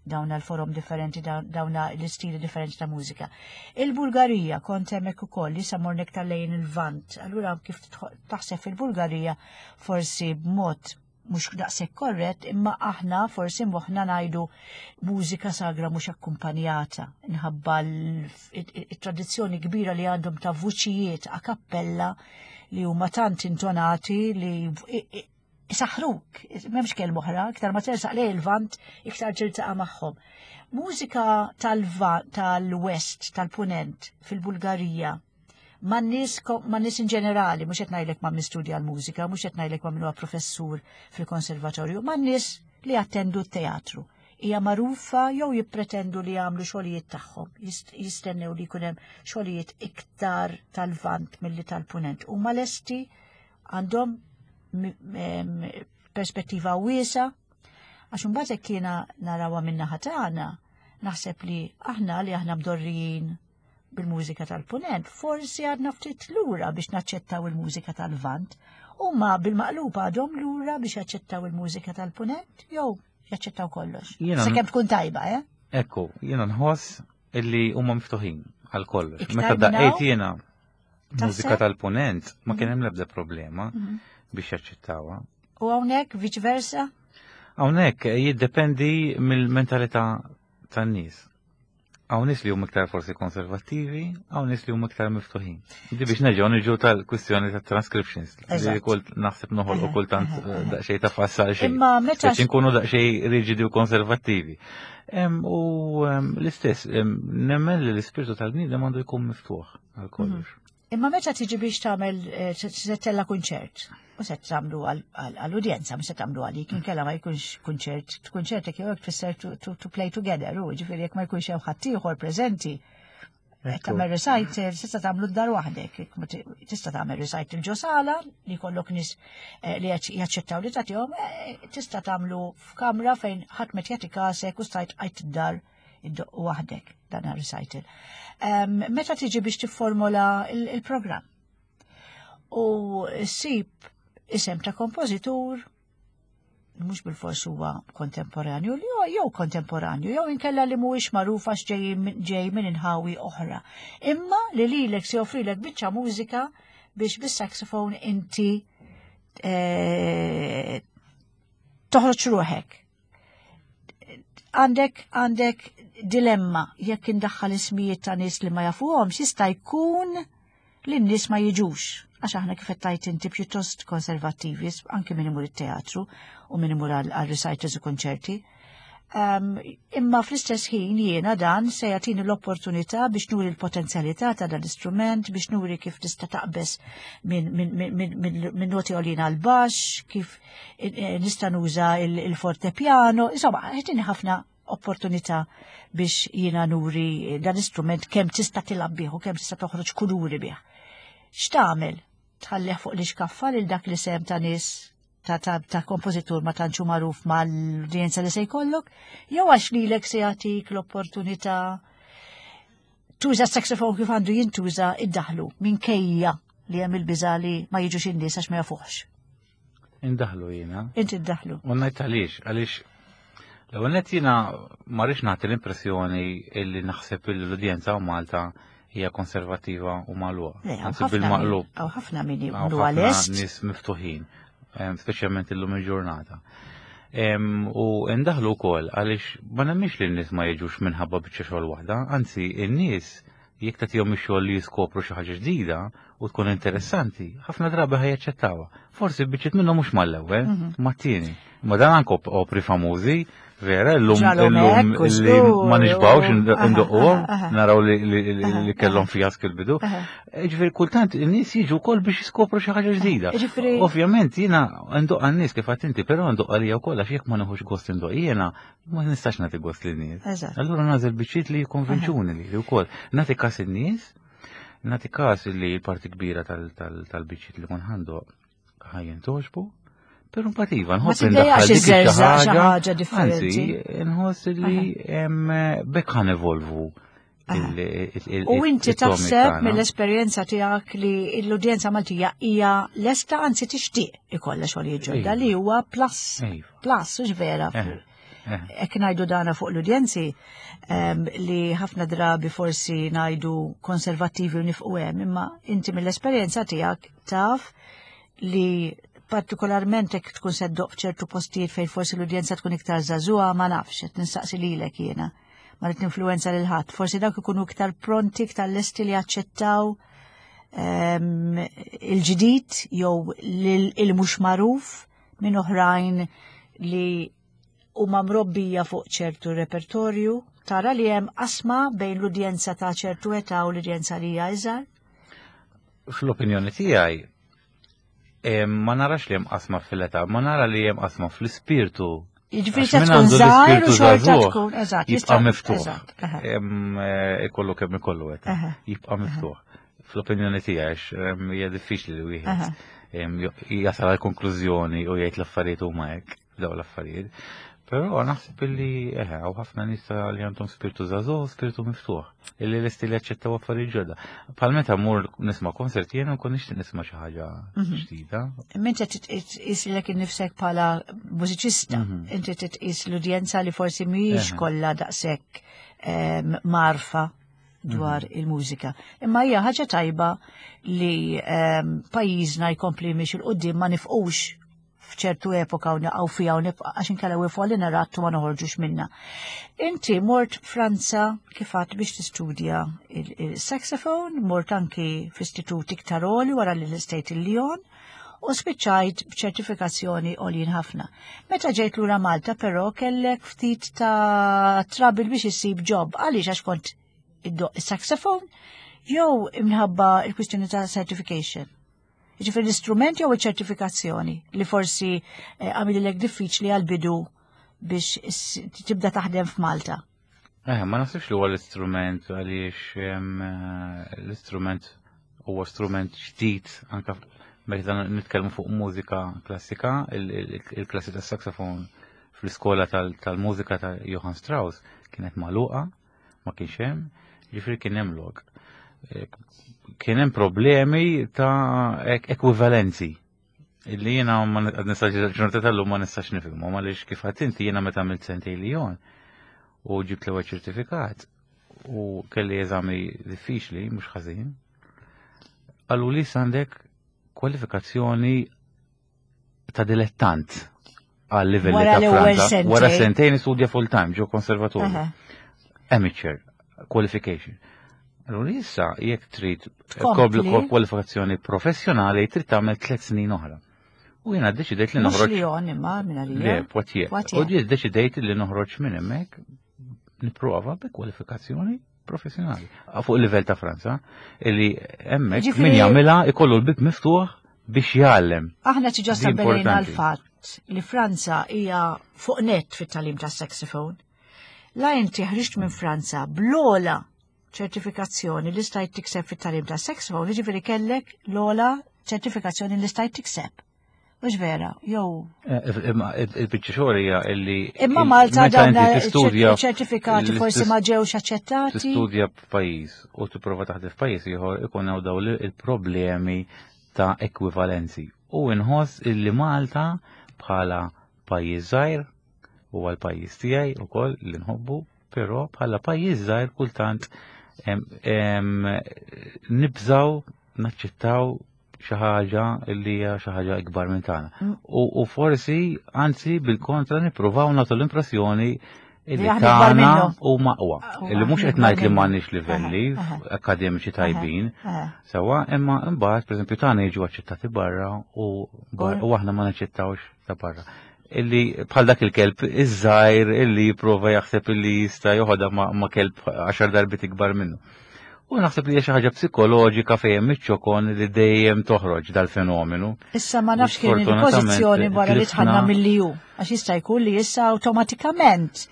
dawn l-forom differenti, dawn l-istili differenti ta' mużika. Il-Bulgarija, kont hemmhekk ukoll, li sa morna iktar lejn il-Lvant. Allura kif taħseb fil-Bulgarija, forsi b'mod mhux daqshekk korrett, imma aħna forsi moħħna ngħidu mużika sagra mhux akkumpanjata, nħabba l-tradizzjoni kbira li għandhom ta' vuċijiet a cappella li huma tant intonati li saħruk, m'hemmx kelma oħra, iktar ma tersaq lejn il-Lvant, iktar tiltaqa' magħhom. Mużika tal-West, tal-Punent, fil-Bulgarija, ma' nies ma' nies in ġenerali, mhux qed ngħidlek ma' min studja l-mużika, mhux qed ngħidlek ma' min huwa professur fil-konservatorju, ma' nies li attendu t-teatru. Hija magħrufa jew jippretendu li jagħmlu xogħlijiet tagħhom, jistennew li jkun hemm xogħlijiet iktar tal-Lvant milli tal-Punent? Huma lesti, għandhom perspettiva wiesa, għax imbagħad hekk jiena narawha min-naħa tagħna, naħseb li aħna li aħna mdorrijin bil-mużika tal-Punent, forsi għadna ftit lura biex naċċettaw il-mużika tal-Lvant, u ma bil-maqlub għadhom lura biex jaċċettaw il-mużika tal-Punent, jew jaċċettaw kollox. Sakemm tkun tajba, eh? Ekku, jiena nħoss illi huma miftuħin għal kollox. Meta daqqejt jiena mużika tal-Punent, ma kien hemm l-ebda problema mhm. biex jaċċettawha. U hawnhekk vice versa? Hawnhekk jiddependi mill-mentalità tan-nies. Hawn nies li huma iktar forsi konservattivi, hawn nies li huma iktar miftuħin. Di biex nerġgħu niġu tal-kwistjoni tat transcriptions li kult naħseb noħolqu kultant eh, daqsxejn ta' fassal xejn. Imma meta nkunu daqsxejn riġidi u konservattivi. U l-istess, nemmen li l-ispirtu tal-bniedem għandu jkun miftuħ għal kollox. Mhm. Imma meta tiġi biex tagħmel eh, se ttella' kunċert, u se tagħmlu għall-udjenza, mhux se tagħmlu għalik, inkella ma jkunx kunċert, kunċert jekk jew tfisser to play together, u ġifieri jekk ma jkunx hemm ħaddieħor preżenti, tagħmel recital, tista' tagħmlu d-dar waħdek, tista' tagħmel recital ġo sala li jkollok nies eh, li jaċċettaw li tagħtihom, eh, tista' tagħmlu f'kamra fejn ħadd met jagħti kasek u stajt għajt id-dar iddoqq waħdek dan recital. Meta tiġi biex tifformola il-programm u ssib isem ta' kompożitur mhux bil-fors huwa kontemporanju jew kontemporanju jew inkella li mhuwiex magħruf għax ġej minn inħawi oħra. Imma li lilek se joffrilek biċċa mużika biex bis-saxophone inti eh, toħroġ ruħek. Għandek għandek dilemma: jekk indaħħal ismijiet ta' nies li ma jafuhomx, jista' jkun li n-nies ma jiġux. Għax aħna, kif qed inti, pjuttost konservattivi, anke min imur it-teatru u min imur għal recitals u konċerti. Um, imma fl-istess ħin jiena dan se jagħtini l-opportunità biex nuri l-potenzjalità ta' dan l-istrument, biex nuri kif tista' taqbes minn min, min, min, min, min noti għolin għal baxx, kif eh, nista' nuża il-fortepiano, insomma, jagħtini ħafna opportunità biex jiena nuri dan l-istrument kemm tista' tilgħab bih u kemm tista' toħroġ kuluri bih. X'tagħmel? Tħallih fuq l-iskaffa lil dak li sem ta' nies ta' ta', ta kompożitur ma tantx hu magħruf mal-udjenza li se jkollok, jew għax lilek se jagħtik l-opportunità tuża s-saxophone kif għandu jintuża, iddaħlu minkejja li hemm il-biża li ma jiġux in-nies għax ma jafuħx? Indaħlu jiena. Inti iddaħlu. U ngħid għaliex, għaliex l-ewwel nett jiena ma rridx nagħti l-impressjoni illi naħseb li l-udjenza Malta hija konservattiva u magħluqa. Anzi, bil-maqlub. Hawn ħafna min hu għalest. Nies miftuħin, speċjalment illum il-ġurnata. U ndaħlu wkoll għaliex ma nemminx li n-nies ma jiġux minħabba biċċa xogħol waħda, anzi, in-nies jekk tagħtihom ix-xogħol li jiskopru xi ħaġa ġdida u tkun interessanti, ħafna drabi ħa jaċċettawha. Forsi biċċiet minnhom mhux mal-ewwel, mhm. mat-tieni. Ma dan anke opri famużi, vera, llum illum li ma nixbgħux indoqquhom, naraw li kellhom fiask il-bidu. Ġifieri kultant in-nies jiġu wkoll biex jiskopru xi ħaġa ġdida. Ovvjament jiena ndoqq għan-nies, kif għedt inti, però ndoqq għalija wkoll, għax jekk ma nieħux gost indoqq jiena, ma nistax nagħti gost lin-nies. Allura nagħżel biċċiet li jikkonvinċuni li wkoll. Nagħti kas in-nies. Nagħti każ li l-parti kbira tal-biċċiet li kun ħandu ħajjen toġbu, pero mbagħad iva nħoss indaħħal dik xi ħaġa differenti. Anzi, nħoss li bekk ħan evolvu. U inti taħseb mill-esperjenza tiegħek li l-udjenza Maltija hija lesta, anzi tixtieq ikollha xogħlijiet ġodda li huwa plus, plus, hux vera. Hekk ngħidu dana fuq l-udjenzi li ħafna drabi forsi ngħidu konservattivi u nifqu hemm, imma inti mill-esperjenza tiegħek taf li partikolarment hekk tkun se ddoq f'ċertu postijiet fejn forsi l-udjenza tkun iktar żagħżugħa, ma nafx, qed nistaqsi lilek jiena. Ma rrid influenza lil ħadd, forsi dawk ikunu iktar pronti, iktar lesti li jaċċettaw il-ġdid jew il-mhux magħruf minn oħrajn li huma mrobbija fuq ċertu repertorju. Tara li hemm qasma bejn l-udjenza ta' ċertu età u l-udjenza li hija iżgħar? Fl-opinjoni tiegħi ma narax li hemm qasma fil-età, ma nara li hemm qasma fl-ispirtu. Jiġifieri ta' tkun żgħir u xorta tkun, eżatt. Jibqa' miftuħ. Ikollu kemm ikollu età. Jibqa' miftuħ. Fl-opinjoni tiegħi hija diffiċli li wieħed jasal għal konklużjoni u jgħid l-affarijiet huma hekk, dawn l-affarijiet. Però naħseb illi eħe, hawn ħafna nies li għandhom spirtu żagħżugħ, spirtu miftuħ, illi lesti li jaċċettaw affarijiet ġodda. Bħal meta mmur nisma' konsert jiena nkun nixtieq nisma' xi ħaġa ġdida. Imma inti titqis lilek innifsek bħala mużiċista, inti titqis l-udjenza li forsi mhijiex kollha daqshekk marfa dwar il-mużika. Imma hija ħaġa tajba li pajjiżna jkompli miex il quddiem, ma nifqux f'ċertu epoka u naqgħu fiha u nibqa' għax inkella wieqfu għalina rattu ma noħorġux minna. Inti mort Franza kif għadt biex tistudja il-saxophone, mort anki f'istitut iktar għoli wara li l-istejt il-Lyon u spiċċajt b'ċertifikazzjoni għoljin ħafna. Meta ġejt lura Malta però kellek ftit ta' trouble biex issib job. Għaliex? Għax kont iddoq is-saxophone jew imħabba il-kwistjoni ta' certification? Jiġifieri l-istrument jew iċ-ċertifikazzjoni li forsi għamililek diffiċli għal-bidu biex tibda taħdem f'Malta? Eh, ma naħsibx li huwa l-istrument, għaliex l-istrument huwa strument ġdid anke meta nitkellmu fuq mużika klassika, il-klassi tas-saxophone fl-iskola tal-mużika ta' Johann Strauss kienet magħluqa, ma kienx hemm, jiġifieri kien hemm lok. Kien hemm problemi ta' ekwivalenzi illi jiena ma nistax ġurnata tal-lum ma nistax nifhimhom, għaliex kif għedt inti jiena meta għamilt sentejn Lyon u ġibt l-ewwel ċertifikat u kelli eżami diffiċli mhux ħażin, qalu li għandek kwalifikazzjoni ta' dilettant għal livelli ta' Franza. Wara sentejn istudja full time ġo konservatorju. Amateur qualification. Allura issa jekk trid kwalifikazzjoni professjonali trid tagħmel tliet snin oħra. U jiena ddeċidejt li noħroġ. Mhux Lyon imma minn għalija. Le, Poitiers. U ddeċidejt li noħroġ minn hemmhekk nipprova bi kwalifikazzjoni professjonali. Fuq il-livell ta' Franza, illi hemmhekk min jagħmilha ikollu l-bib miftuħ biex jgħallem. Aħna ġa stabbilejna l-fatt li Franza hija fuq net fit-tagħlim tas-saxophone. La inti ħriġt minn Franza bl-ogħla ċertifikazzjoni li stajt tikseb fit-tagħlim ta' saxophone, jiġifieri kellek l-ogħla ċertifikazzjoni li stajt tikseb. Mhux vera, jew. Il-biċċa xogħol hija illi Imma Malta dawn ċertifikati forsi ma ġewx aċċettati. Tistudja f'pajjiż u tipprova taħdem f'pajjiż ieħor ikun hawn dawn il-problemi ta' ekwivalenzi. U nħoss illi Malta bħala pajjiż żgħir huwa l-pajjiż tiegħi wkoll li nħobbu, però bħala pajjiż żgħir kultant nibżaw naċċettaw xi ħaġa li hija xi ħaġa ikbar minn tagħna. U forsi anzi bil-kontra nippruvaw nagħtu l-impressjoni li tagħna huma aqwa. Illi mhux qed ngħid li m'għandniex livelli akademiċi tajbin, sewwa, imma mbagħad pereżempju tagħna jiġu aċċettati barra u aħna ma naċċettawx ta' barra. Illi bħal dak il-kelb iż-żgħir illi jipprova jaħseb illi jista' joħodha ma' kelb għaxar darbiet ikbar minnu. U naħseb li hija xi ħaġa psikoloġika fejn hemm iċ-ċokon li dejjem toħroġ dal-fenomenu. Issa ma nafx kien il-pożizzjoni wara li tħanna mill-E U, għax jista' jkun li issa awtomatikament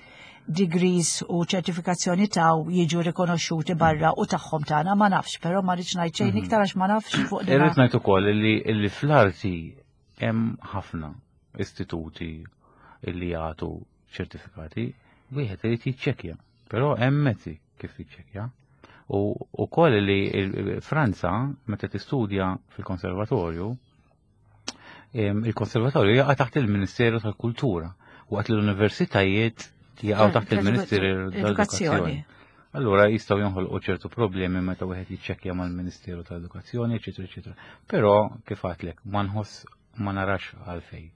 degrees u ċertifikazzjoni taw jiġu rikonoxxuti barra u tagħhom tagħna ma nafx, però ma rridx ngħid xejn iktar għax ma nafx fuq din. Irrid ngħid ukoll li li fl-arti hemm ħafna istituti li jagħtu ċertifikati, wieħed irid jiċċekkja, però hemm mezzi kif jiċċekkja. U wkoll li il- Franza meta tistudja fil-konservatorju, em, il-konservatorju jaqa' taħt il-Ministeru tal-Kultura, waqt li l-universitajiet jaqgħu taħt il-Ministeru tal-Edukazzjoni. Allura jistgħu jinħolqu ċertu problemi meta wieħed jiċċekkja mal-Ministeru tal-Edukazzjoni, eċetera, eċetera. Però kif għedtlek, ma nħoss ma narax għalfejn.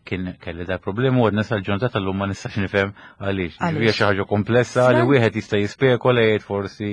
Kien kelli da problemi u għadna sal-ġurnata tal-lum ma nistax nifhem għaliex. Għaliex. Hija xi ħaġa komplessa li Fran- wieħed jista' jispekola jgħid forsi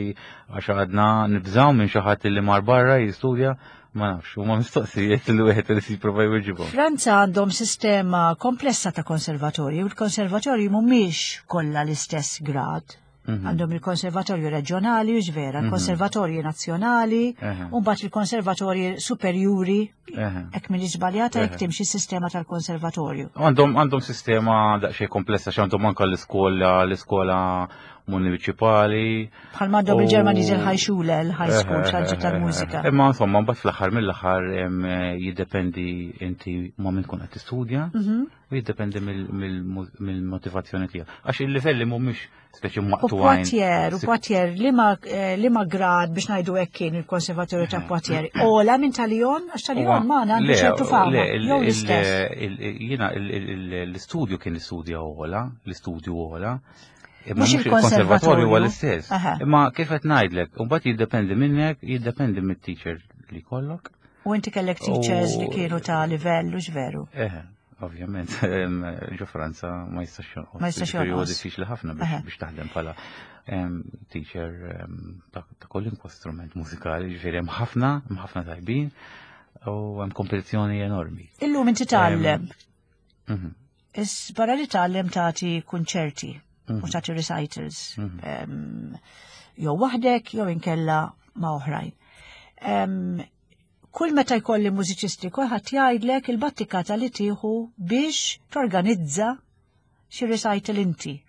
għax għadna nibżgħu minn xi ħadd li mar barra jistudja, ma nafx, huma mistoqsijiet li wieħed irid jipprova jweġibhom. Franza għandhom sistema komplessa ta' konservatorji u l-konservatorji mhumiex kollha l-istess grad. Mhm. Għandhom il-konservatorju reġjonali, u vera, il-konservatorji nazzjonali, Eħe. u mbagħad il-konservatorji superjuri, Eħe. hekk minn żbaljata jekk Eħe. timxi s-sistema tal-konservatorju. Għandhom għandhom sistema daqsxejn komplessa x'għandhom anke l-iskola l-iskola municipali. Bħal m'għandhom U- il-Ġermaniż il-High Schule, il-High School, Eħe, xaġġa eħe, tal-mużika. eħe. Imma insomma, mbagħad fl-aħħar mill-aħħar em, jiddependi inti ma' min tkun qed tistudja Mhm. u jiddependi mill-motivazzjoni tiegħek. Għax il-livelli mhumiex speċi U maqtugħin. Poitiers, u Poitiers, liema liema grad biex ngħidu hekk kien il-konservatorju ta' Poitiers. Ola minn ta' Lyon, għax ta' Lyon ma għandu ċertu fama. Jew l-istess. Jiena l-istudju kien l-istudja ola, l-istudju ola. Imma Mhux mhux il-konservatorju huwa il-konservatorju. l-istess. Aha. Imma kif qed ngħidlek, u mbagħad jiddependi minnek, jiddependi mit-teacher li kollok. U inti kellek teachers li U- kienu ta' livell, u veru. Eħe, ovvjament, em, ġo Franza ma jistax jonqos. Ma jistax Ġifieri huwa jonqos. diffiċli ħafna Eħe. biex biex taħdem bħala em, teacher em, ta' ta' kwalunkwe strument mużikali, ġifieri hemm ħafna, hemm ħafna tajbin u hemm kompetizzjoni enormi. Illum inti tgħallem. Mhm. Is barra li tgħallem tagħti kunċerti u Mhm. tagħti recitals. Mhm. Em, Jew waħdek jew inkella ma' oħrajn. Em, Kull meta jkolli mużiċisti kulħadd jgħidlek il-battikata li tieħu biex torganizza xi recital inti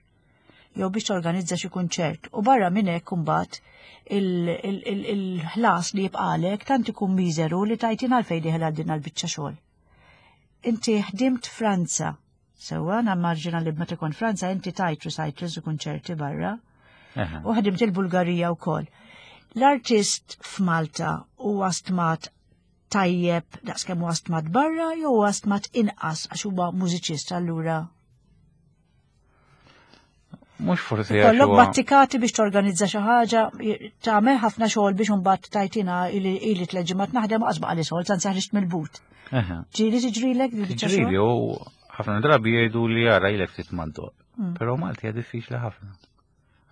jew biex torganizza xi kunċert. U barra minn hekk imbagħad il-ħlas li jibqalek tant ikun miżeru li tajtin għalfejn dieħel għal din għall-biċċa xogħol. Inti ħdimt Franza, sewwa nammarġina li meta kont Franza inti tajt recitals u kunċerti barra Eħe. u ħdimt il-Bulgarija wkoll. L-artist f'Malta huwa stmat tajjeb daqskemm huwa stmat barra jew huwa stmat inqas għax huwa mużiċist allura. Mhux forsi għax Kollok huwa- battikati biex torganizza xi ħaġa, tagħmel ħafna xogħol biex imbagħad tajtina ili ili tliet ġimgħat naħdem u qasba għali xogħol tant saħriġt mill-but. Eħe. Ġieli tiġrilek di biċċa Ġrili xogħol? u ħafna drabi jgħidu li jara ilek ftit mandoq. Mm. Però Malti hija diffiċli ħafna.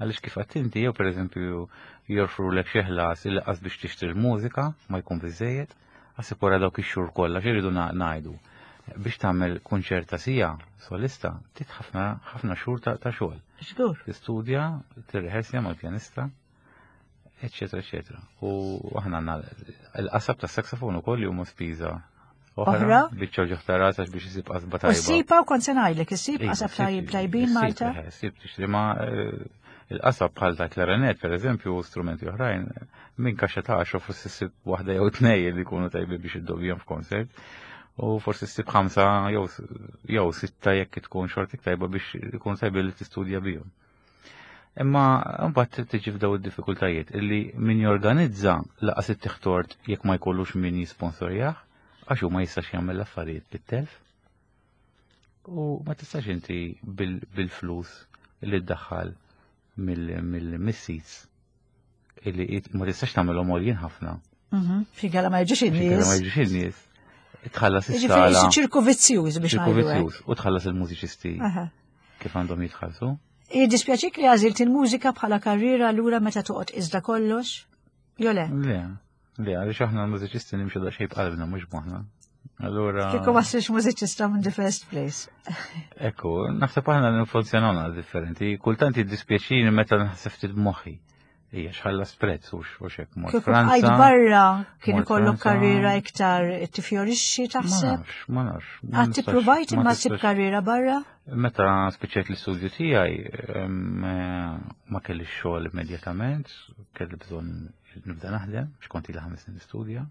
Għaliex kif għedt inti jew pereżempju joffrulek xi ħlas il qas biex tixtri l-mużika ma jkun biżejjed, għas wara dawk ix-xhur kollha x'iridu na- ngħidu. Biex tagħmel kunċert ta' sija solista, tit ħafna ħafna xhur ta' ta' xogħol. Żgur. Tistudja, tirrehersja mal-pjanista, eccetera, eccetera. U aħna għandna l-qasab ta' saksofon ukoll li huma spiża Oħra? Biċċa ġoħta rasax biex isib qasba U tajba. s-sipa u kont se ngħidlek, is-sib Iva, qasab ssib- tajb tajbin issib, Malta. eh, ssib tixtri ma eh, il-qasab bħal ta' klarinet, per eżempju, u strumenti oħrajn, minn kaxxa ta' għaxra forsi ssib waħda jew tnej li jkunu tajbi biex iddobjhom f'konsert. U forsi ssib ħamsa jew jew sitta jekk tkun xortik tajba biex ikun tajbi li tistudja bihom. Imma mbagħad tiġi f'daw id-diffikultajiet illi min jorganizza laqas it-tiħtort jekk ma jkollux min jisponsorjah, għax hu ma jistax jagħmel l-affarijiet bit-telf. U ma tistax inti bil- bil-flus li ddaħħal mill-seats illi it- ma tistax tagħmelhom għoljin ħafna. Mhm. Figala ma jiġux Xi in-nies. ma jiġux in-nies. Tħallas Jiġifieri is-sala. ċirku vizzjuż biex ċirku ngħidu hekk. vizzjuż u tħallas il-mużiċisti Aha. kif għandhom jitħallsu. Jiddispjaċik li għażilt il-mużika bħala karriera allura meta toqgħod iżda kollox? Jo le? Le, le, għaliex aħna l-mużiċisti nimxu daqsxejn b'qalbna mhux b'moħħna. Allura, Kieku ma ssirx mużiċista minn the first place. ekku, naħseb aħna nfunzjonaw differenti. Kultant jiddispjaċini meta naħseb ftit b'moħħi. Hija x'ħallas prezz u x'hekk mort Kieku Franza. bqajt barra kien mort ikollok Franza. karriera iktar tifjorixxi Ma taħseb? nafx, ma nafx. ma Għad nistax- tippruvajt ma imma ssib tistax- karriera barra? Meta spiċċajt l-istudju tiegħi em, eh, ma kellix xogħol immedjatament, kelli bżonn nibda naħdem, x'kont ili ħames snin nistudja.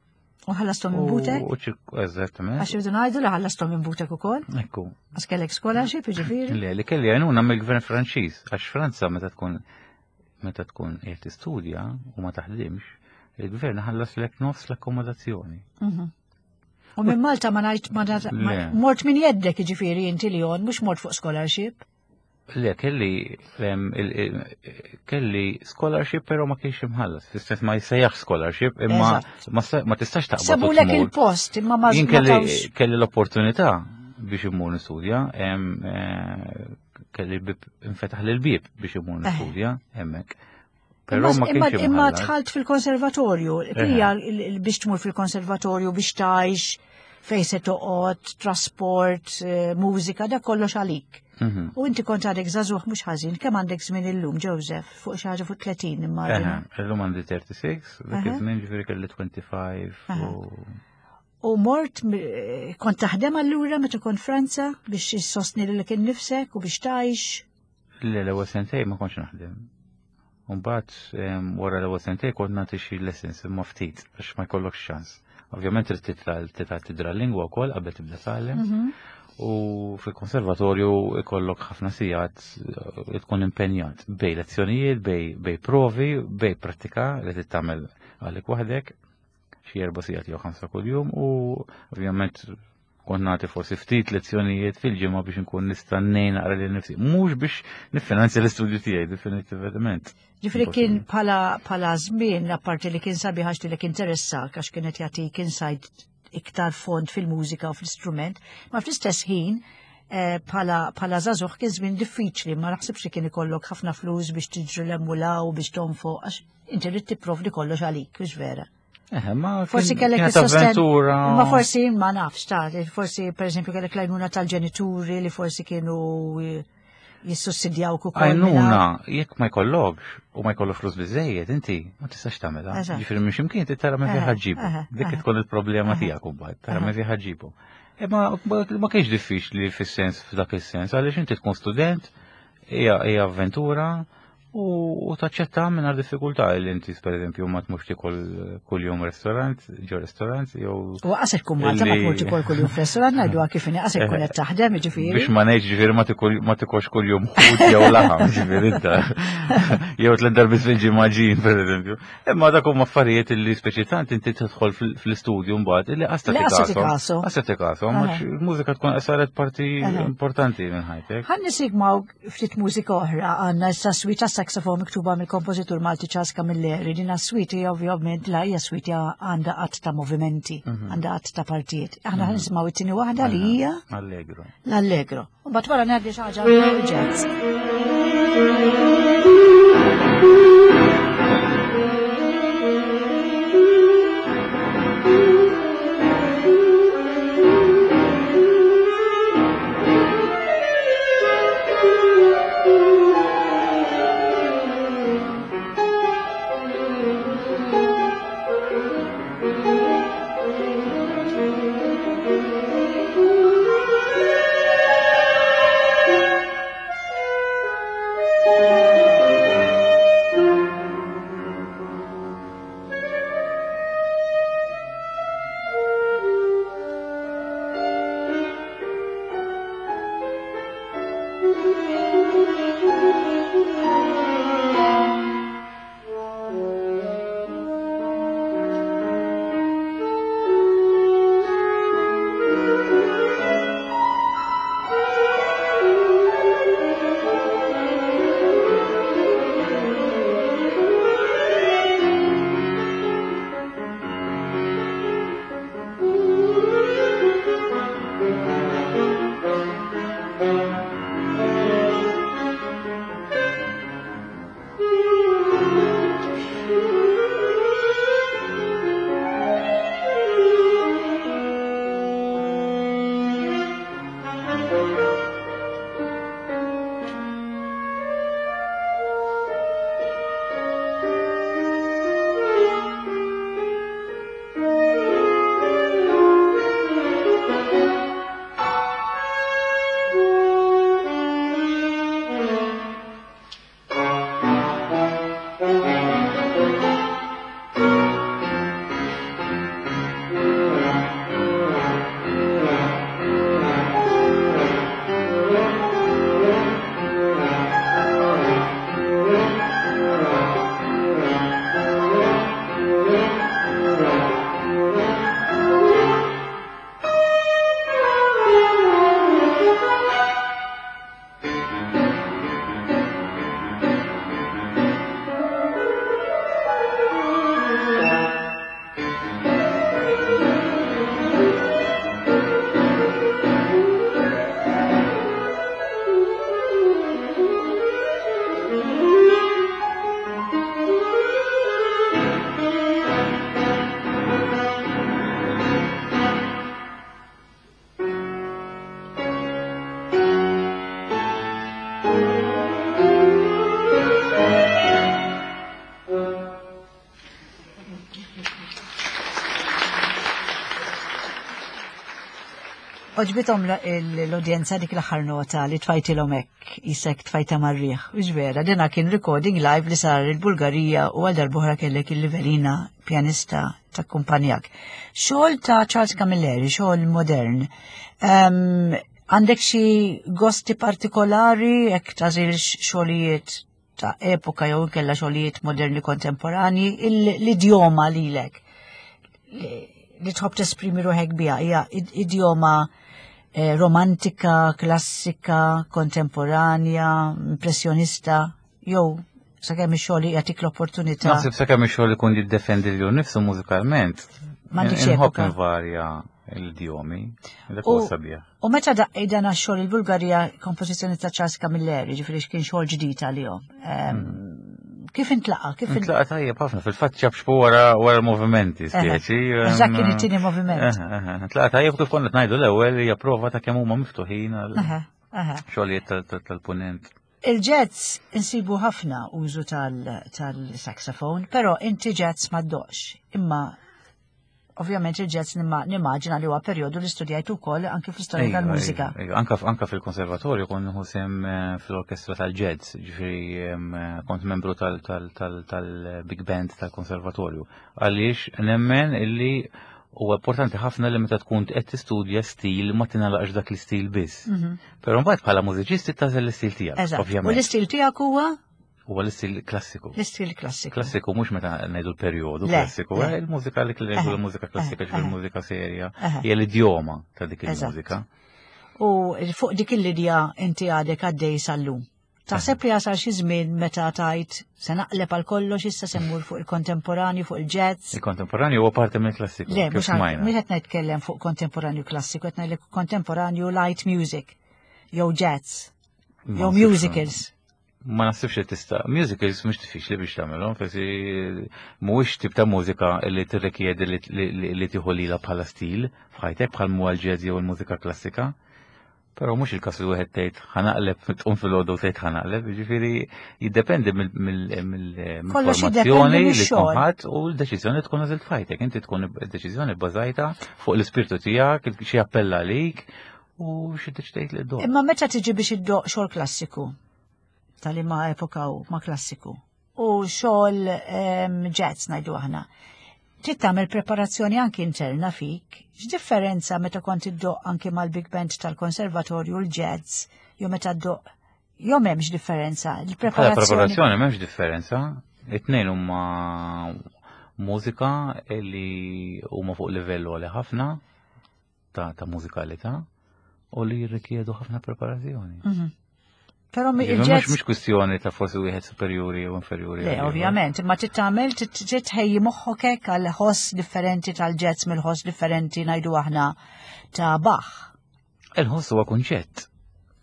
U ħallasthom minn butek? U ċirk- Eżattament. Għax irridu ngħidu li ħallasthom minn butek ukoll? Ekku. Għax kellek scholarship, jiġifieri? Le, li kelli għajnuna mill-gvern Franċiż, għax Franza meta tkun meta tkun qiegħed tistudja u ma taħdimx, il-gvern ħallas lek nofs l-akkomodazzjoni. Mhm. U minn Malta ma ngħid ma ngħid- ma- Le. mort minn jeddek jiġifieri inti Lyon, mhux mort fuq scholarship. Le, kelli em, il- il- kelli scholarship però ma kienx imħallas. Fis-sens ma jissejjaħ scholarship, imma Eżatt. ma sa- ma tistax taqbad u Sabulek tmur. il-post, imma ma Jien ma kelli tawx. kelli l-opportunità biex immur nistudja, em, eh, kelli bib infetaħ lil bib biex immur Eh. nistudja hemmhekk. Però Imma ma imma- kienx imma imħallas. dħalt fil-konservatorju, hija il- il- biex tmur fil-konservatorju biex tgħix fejn se toqgħod, trasport, eh, mużika, da kollox għalik. Mhm. U inti kont għadek żagħżugħ mhux ħażin, kemm għandek żmien illum, Joseph, fuq xi ħaġa fuq tletin immaġina. Eħe, illum għandi tlieta u tletin, dak Eħe. iż-żmien ġifieri kelli ħamsa u għoxrin Aha. u U mort, eh, kont taħdem allura meta kont Franza biex issostni lilek innifsek u biex tgħix. Le, l-ewwel sentej ma kontx naħdem. Mbagħad em, wara l-ewwel sentej kont nagħti xi lessons imma ftit għax ma jkollokx ċans. Ovvjament trid titla titla tidra l-lingwa wkoll qabel tibda tgħallem. Mhm. U fil-konservatorju ikollok ħafna sigħat eh, tkun impenjat bejn lezzjonijiet, bejn bejn provi, bejn prattika li trid tagħmel għalik waħdek xi erba' sigħat jew ħamsa kuljum u ovvjament kont nagħti forsi ftit lezzjonijiet fil-ġimgħa biex nkun nista' ngħin naqra lil nifsi. Mhux biex niffinanzja l-istudju tiegħi definitivament. Ġifieri kien bħala bħala żmien, apparti li kien sabiħ għax li interessak għax kienet jagħtik insight iktar fond fil-mużika u fl-istrument, ma fl-istess ħin eh, bħala bħala żagħżugħ kien żmien diffiċli, ma naħsibx li kien ikollok ħafna flus biex tiġri l-emmulaw biex tonfoq għax inti rrid tipprovdi kollox għalik, mhux vera. Eh, ma Forsi kien- kellek kienet is-sosten- avventura. Ma forsi ma nafx, ta' forsi per eżempju kellek l-għajnuna tal-ġenituri li forsi kienu eh, jissussidjawk ukoll. Għajnuna, jekk ma jkollokx u ma jkollok flus biżejjed, inti ma tistax tagħmilha. Eżatt. Ġifieri minn x'imkien inti tara minn fejn Eħe, ħa ġġibu. eħe, Dik eħe. tkun il-problema Eħe. tiegħek imbagħad, tara Eħe. minn fejn ħa ġġibu. Imma ma kienx diffiċli fis-sens f'dak is-sens, għaliex inti tkun student, hija hija avventura u u taċċetta mingħajr diffikultà li inti per eżempju ma tmurx tikol kuljum restaurant, ġo restaurant jew U qasek tkun Malta ma Illi- tmur tikol kuljum f'restaurant ngħiduha kif inhi qasek tkun qed taħdem jiġifieri. Biex ma ngħidx ġifieri ma tikol ma tikolx kuljum ħut jew laħam ġifieri inta. Jew tliet darbiet fil-ġimgħa ġin pereżempju. Imma dak huma affarijiet illi speċi tant inti tidħol fil- fl-istudju mbagħad illi qasta Li qasta tikasom. tikasu. Qasta tikasom, Aha. għax il-mużika tkun saret parti Aha. importanti minn ħajtek. Ħa nisimgħu ftit mużika oħra għandna issa suite saxofon miktuba mill-kompożitur Malti Charles Camilleri. Din suite hija ovvjament la hija suite għandha għadd ta' movimenti, għandha għadd ta' partijiet. Aħna ħa nisimgħu it-tieni waħda li hija Allegro. l-Allegro. U mbagħad wara ngħaddi xi ħaġa jazz. Thank Għoġbithom l-udjenza dik l-aħħar nota li tfajtilhom hekk, isek tfajta mar-riħ. Mhux vera, dina kien recording live li sar il-Bulgarija u għal darb'oħra kellek il-Livelina pjanista ta' kumpanjak. Xogħol ta' Charles Camilleri, xogħol modern. Em, Għandek xi gosti partikolari jekk tagħżilx xogħlijiet ta' epoka jew inkella xogħlijiet moderni kontemporani, il- l-idjoma lilek li li tħobb tesprimi ruħek biha hija id- idjoma eh, romantika, klassika, kontemporanja, impressjonista, jew sakemm ix-xogħol jagħtik l-opportunità. Naħseb sakemm ix-xogħol ikun jiddefendi lilu nnifsu mużikalment. M'għandekx Inħobb epoka. invarja l-idjomi. Dak U- huwa sabiħ. U meta daqqej dan għax-xogħol il-Bulgarija kompożizzjoni ta' Charles Camilleri, ġifieri x'kien xogħol ġdid għalihom. Em, Kif intlaqa? Kif intlaqa? Intlaqa tajjeb ħafna, fil-fatt ċapċpu wara wara l-movimenti, speċi. Eżatt, kien it-tieni moviment. Intlaqa tajjeb kif konna ngħidu l-ewwel hija prova ta' kemm huma miftuħin għal Aha, aha. xogħlijiet tal- tal- tal-punent. Il-jazz insibu ħafna użu tal-saxophone, però inti jazz ma ddoqqx. Imma ovvjament il-jazz nimma- nimmaġina li huwa perjodu li studjajtu wkoll anke fl-istorja Ejja, tal-mużika. ejja, ejja. Anka anka fil-konservatorju kont nieħu sehem eh, fil-orkestra tal-jazz, ġifieri em, eh, kont membru tal- tal- tal- tal-big band tal-konservatorju. Għaliex nemmen illi huwa importanti ħafna li meta tkun qed tistudja stil ma tingħalaqx dak l-istil biss. Però mbagħad bħala mużiċisti tagħżel l-istil tiegħek, Eżatt. U ovvjament. l-istil tiegħek huwa Huwa l-istil klassiku. l-istil klassiku. Klassiku mhux meta ngħidu l-perjodu Le, klassiku, le. eh, il-mużika li ngħidu Eħe, l-mużika klassika eħe, ġifieri l-mużika serja, Eħe. hija l-idjoma ta' dik Eżatt. il-mużika. U fuq dik il-linja inti għadek għaddej sal-lum. Taħseb li jasal xi żmien meta tajt se naqleb għal kollox issa se mmur fuq il-kontemporanju, fuq il-jazz. Il-kontemporanju huwa parti mill-klassiku. Le, kif mhux smajna. mhux qed nitkellem fuq kontemporanju klassiku, qed ngħidlek kontemporanju light music, jew jazz, Ma jew naħsibx- musicals. Ma naħsibx li tista' musicals mhux diffiċli biex tagħmelhom, forsi mhuwiex tip ta' mużika li tirrikjedi li, li, li, li tieħu lilha bħala stil f'ħajtek bħal huwa l-jazz jew il-mużika klassika. Però mhux il-każ li wieħed tgħid ħa naqleb tqum filgħodu u tgħid ħa naqleb, jiġifieri jiddependi Kollox mill-formazzjoni jiddependi li tkun mix-xogħol. ħadd u l-deċiżjoni tkun għażilt f'ħajtek. Inti tkun id-deċiżjoni bbażajta fuq l-ispirtu tiegħek, xi appella għalik u xi deċidejt li ddoqq. Imma meta tiġi biex iddoqq xogħol klassiku, tal ma epoka u ma klassiku, u xogħol em, jazz ngħidu aħna, trid tagħmel preparazzjoni anki interna fik. X'differenza meta kont iddoqq anki mal-big band tal-konservatorju l-jazz, jew meta ddoqq jew m'hemmx differenza. Bħala Il-preparazzjoni. preparazzjoni m'hemmx differenza. It-tnejn huma mużika li huma fuq livell għoli ħafna ta' ta' mużikalità u li jirrikjedu ħafna preparazzjoni. Mhm. Però mi- Ġifieri Mhux il-jazz mhux kwistjoni ta' forsi wieħed superjuri jew inferjuri. Le, għal ieħor. ovvjament, imma trid tagħmel trid tħejji moħħok hekk għal ħoss differenti tal-jazz mill-ħoss differenti ngħidu aħna ta' Bach. Il-ħoss huwa kunċett.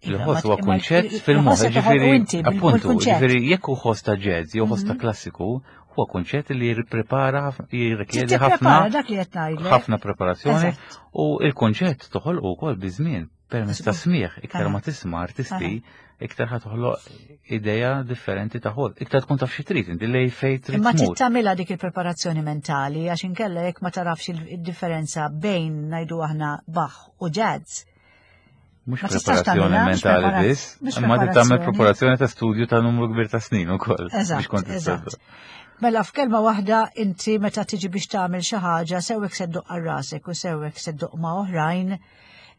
Iva, Il-ħoss ma- huwa imma kunċett il- fil-moħħ, il-ħoss qed toħolqu ġifieri inti bil- appuntu, bil-kunċett. ġifieri jekk hu ħoss ta' jazz jew ħoss ta' Mhm. klassiku, huwa kunċett li jirprepara jirrikjedi Tipprepara ħafna dak li qed ngħidlek. ħafna preparazzjoni Eżatt. u il-konċett toħolqu wkoll biż-żmien permezz ta' smigħ, iktar Aha. ma tisma' artisti, iktar ħa toħloq ideja differenti ta' ħoss, iktar tkun taf xi trid inti lej fejn trid Imma trid tmur. tagħmilha dik il-preparazzjoni mentali għax inkella jekk ma tarafx il-differenza bejn ngħidu aħna Bach u jazz. Mhux ma tistax preparazzjoni tagħmilha, mhux mentali prepara- biss, mhux imma trid tagħmel preparazzjoni. preparazzjoni ta' studju ta' numru kbir ta' snin ukoll biex Eżatt, kont eżatt. tista' Mela f'kelma waħda inti meta tiġi biex tagħmel xi ħaġa sewwek se ddoqq għal rasek u sewwek se ddoqq ma' oħrajn,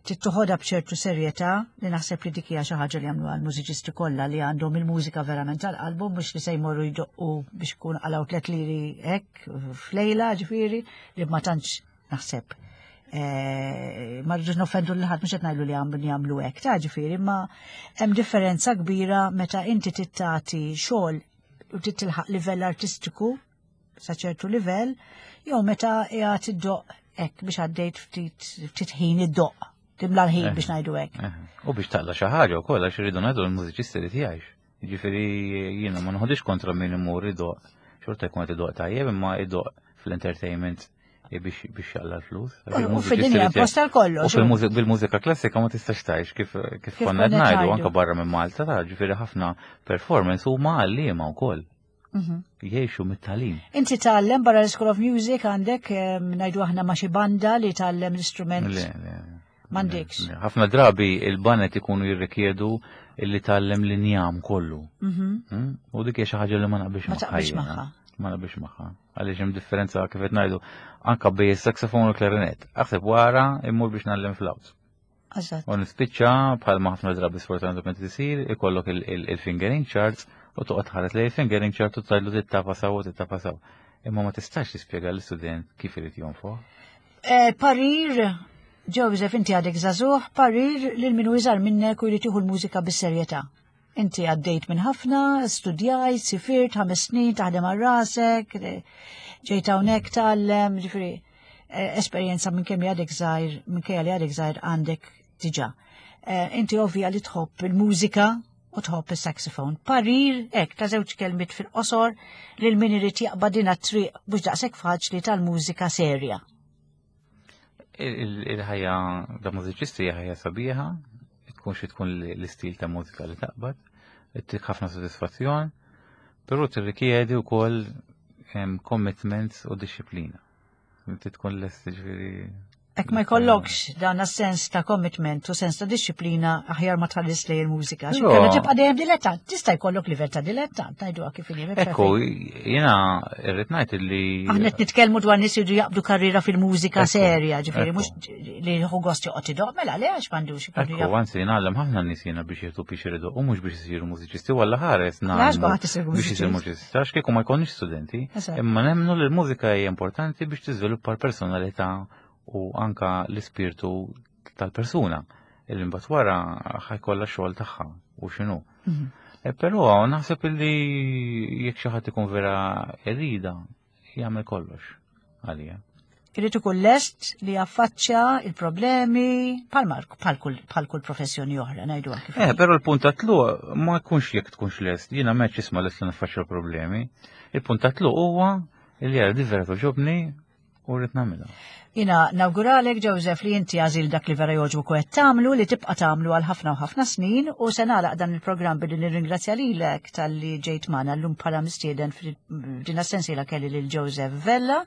trid toħodha b'ċertu serjetà li naħseb li dik hija xi ħaġa li jagħmlu għall-mużiċisti kollha li għandhom il-mużika verament tal-qalbhom mhux li se jmorru jdoqqu biex ikun qalgħu tliet liri hekk f'lejla ġifieri li ma tantx naħseb. Eh, ma rridux noffendu lil ħadd mhux qed ngħidu li għamlu jagħmlu hekk, ta' ġifieri, imma hemm differenza kbira meta inti tittati xogħol u trid tilħaq livell artistiku sa ċertu livell, jew meta qiegħed iddoqq hekk biex għaddejt ftit ftit ħin iddoqq, timla l-ħin Eh. biex ngħidu hekk. Eh, U biex taqla xi ħaġa wkoll għax irridu ngħidu l-mużiċisti li jgħix. Jiġifieri jiena ma noħodix kontra min imur idoqq. Xorta jkun qed idoqq tajjeb imma idoqq fl-entertainment biex biex jaqla l-flus. Għax U il-mużiċisti fid-dinja li posta l-kollox. U fil-mużika bil-mużika klassika ma tistax tgħix kif kif Kif konna qed konna ngħidu ngħidu. anke barra minn Malta ta' ġifieri ħafna performance huma għalliema wkoll. Mhm. Jgħixu mit-tagħlim. Inti tgħallem barra l-School of Music għandek em, ngħidu aħna ma' xi banda li tgħallem l-istrument Le, le. M'għandekx. Ħafna drabi il-baned ikunu jirrikjedu illi tgħallem l-injam kollu. Mhm. Mm? U dik hija xi ħaġa li ma naqbilx Ma magħha. taqbilx jiena. magħha. Ma naqbilx magħha. Għaliex hemm differenza kif qed ngħidu anke bejn is-saxophone u l-klarinet. Aħseb wara immur biex ngħallem flawt. Eżatt. U nispiċċa bħal ma ħafna drabi sfortunatament isir, ikollok il- il- il-fingering charts u toqgħod tħares lejn il-fingering chart u tgħidlu tittapa saw u tittapa saw. Imma ma tistax tispjega l-istudent kif irid jonfoħ. Eh, Parir, Joseph, inti għadek żagħżugħ, parir lil min hu iżgħar minnek u jrid jieħu l-mużika bis-serjetà. Inti għaddejt minn ħafna, studjajt, sifirt, ħames snin, taħdem għal rasek, eh, ġejt hawnhekk tgħallem, ġifieri, eh, esperjenza minn kemm għadek żgħir, minn kemm li għadek żgħir għandek diġà. Eh, Inti ovvja li tħobb il-mużika u tħobb il-saxophone. Parir, hekk, ta' żewġ kelmiet fil-qosor lil min irid jaqbad din it-triq mhux daqshekk faċli tal-mużika serja. Il- il- Il-ħajja ta' mużiċisti hija ħajja sabiħa, tkun xi tkun l-istil ta' mużika li taqbad, ittik ħafna sodisfazzjon, però tirrikjedi wkoll em, commitments u disċiplina. Inti tkun lest ġifieri. Jekk ma jkollokx dan sens ta' commitment u sens ta' disċiplina aħjar ma tħallis lejn il-mużika. Però- Xi tibqa' dejjem dilettant, tista' jkollok livell ta' dilettant, ngħiduha kif inhi. Ekku, jiena irrid ngħid li Aħna qed nitkellmu dwar nies jridu jaqbdu karriera fil-mużika Ekku, serja, ġifieri ekku. mhux li jieħu gost joqgħod idoq, mela le għax m'għandux ikunu Ekku, jaf. anzi, ngħallem ħafna nies jiena biex jieħdu biex iridu u mhux biex isiru mużiċisti, walla ħares Għax ngħallmu kulħadd isir biex isir mużiċist. mużiċista, għax kieku ma jkollniex studenti, Eżatt. imma nemmnu li l-mużika hija importanti biex tiżviluppa l-personalità u anka l-ispirtu tal-persuna illi mbagħad wara ħa jkollha xogħol tagħha u x'inhu. Mhm. E, Però naħseb illi jekk xi ħadd ikun vera irida jagħmel kollox għalija. Irid ikun lest li jaffaċċja il-problemi bħal bħal kull bħal kull professjoni oħra, ngħiduha kif. Eh, inhi. però l-punt ta' tluq ma jkunx jekk tkunx lest, jiena m'għedx isma' lest li naffaċċja l-problemi. Il-punt ta' tluq huwa li jara di vera togħġobni u rrid nagħmilha. Jiena nawguralek, Joseph, li inti għażilt dak li vera jogħġbok u qed tagħmlu li tibqa' tagħmlu għal ħafna u ħafna snin u se nagħlaq dan il-programm billi nirringrazzja lilek talli ġejt magħna llum bħala mistieden f'din sensiela kelli lil Joseph Vella.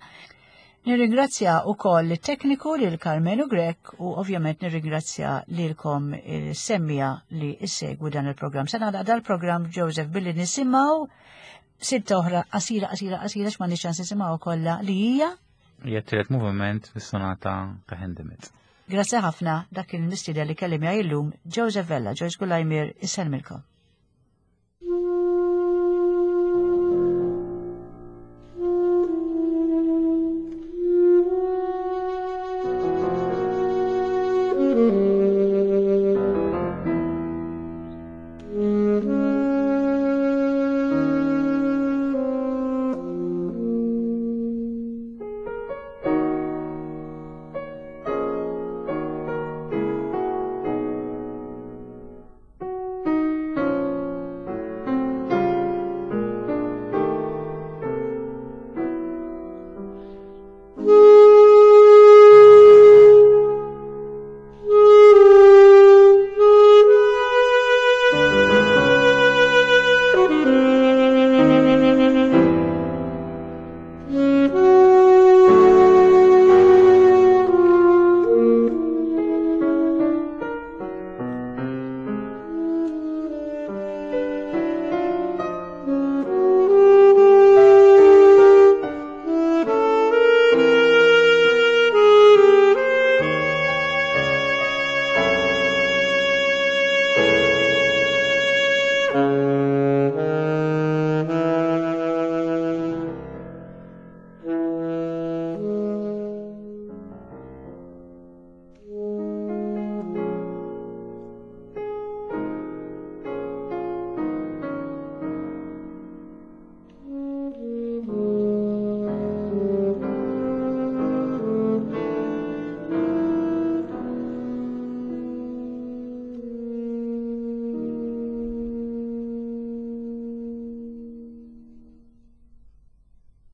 Nirringrazzja wkoll it-tekniku lil Carmenu Grek u ovvjament nirringrazzja lilkom il-semmiegħa li issegwu dan il-programm. Se nagħlaq dal-programm, Joseph, billi nisimgħu silta oħra qasira qasira qasira x'ma ċans nisimgħu kollha li hija Hija t-tielet moviment fis-sonata ta' Hindemith. Grazie ħafna. Dak il-mistieden li kelli miegħi llum Joseph Vella, Joyce Gulajmir, isellmilkom.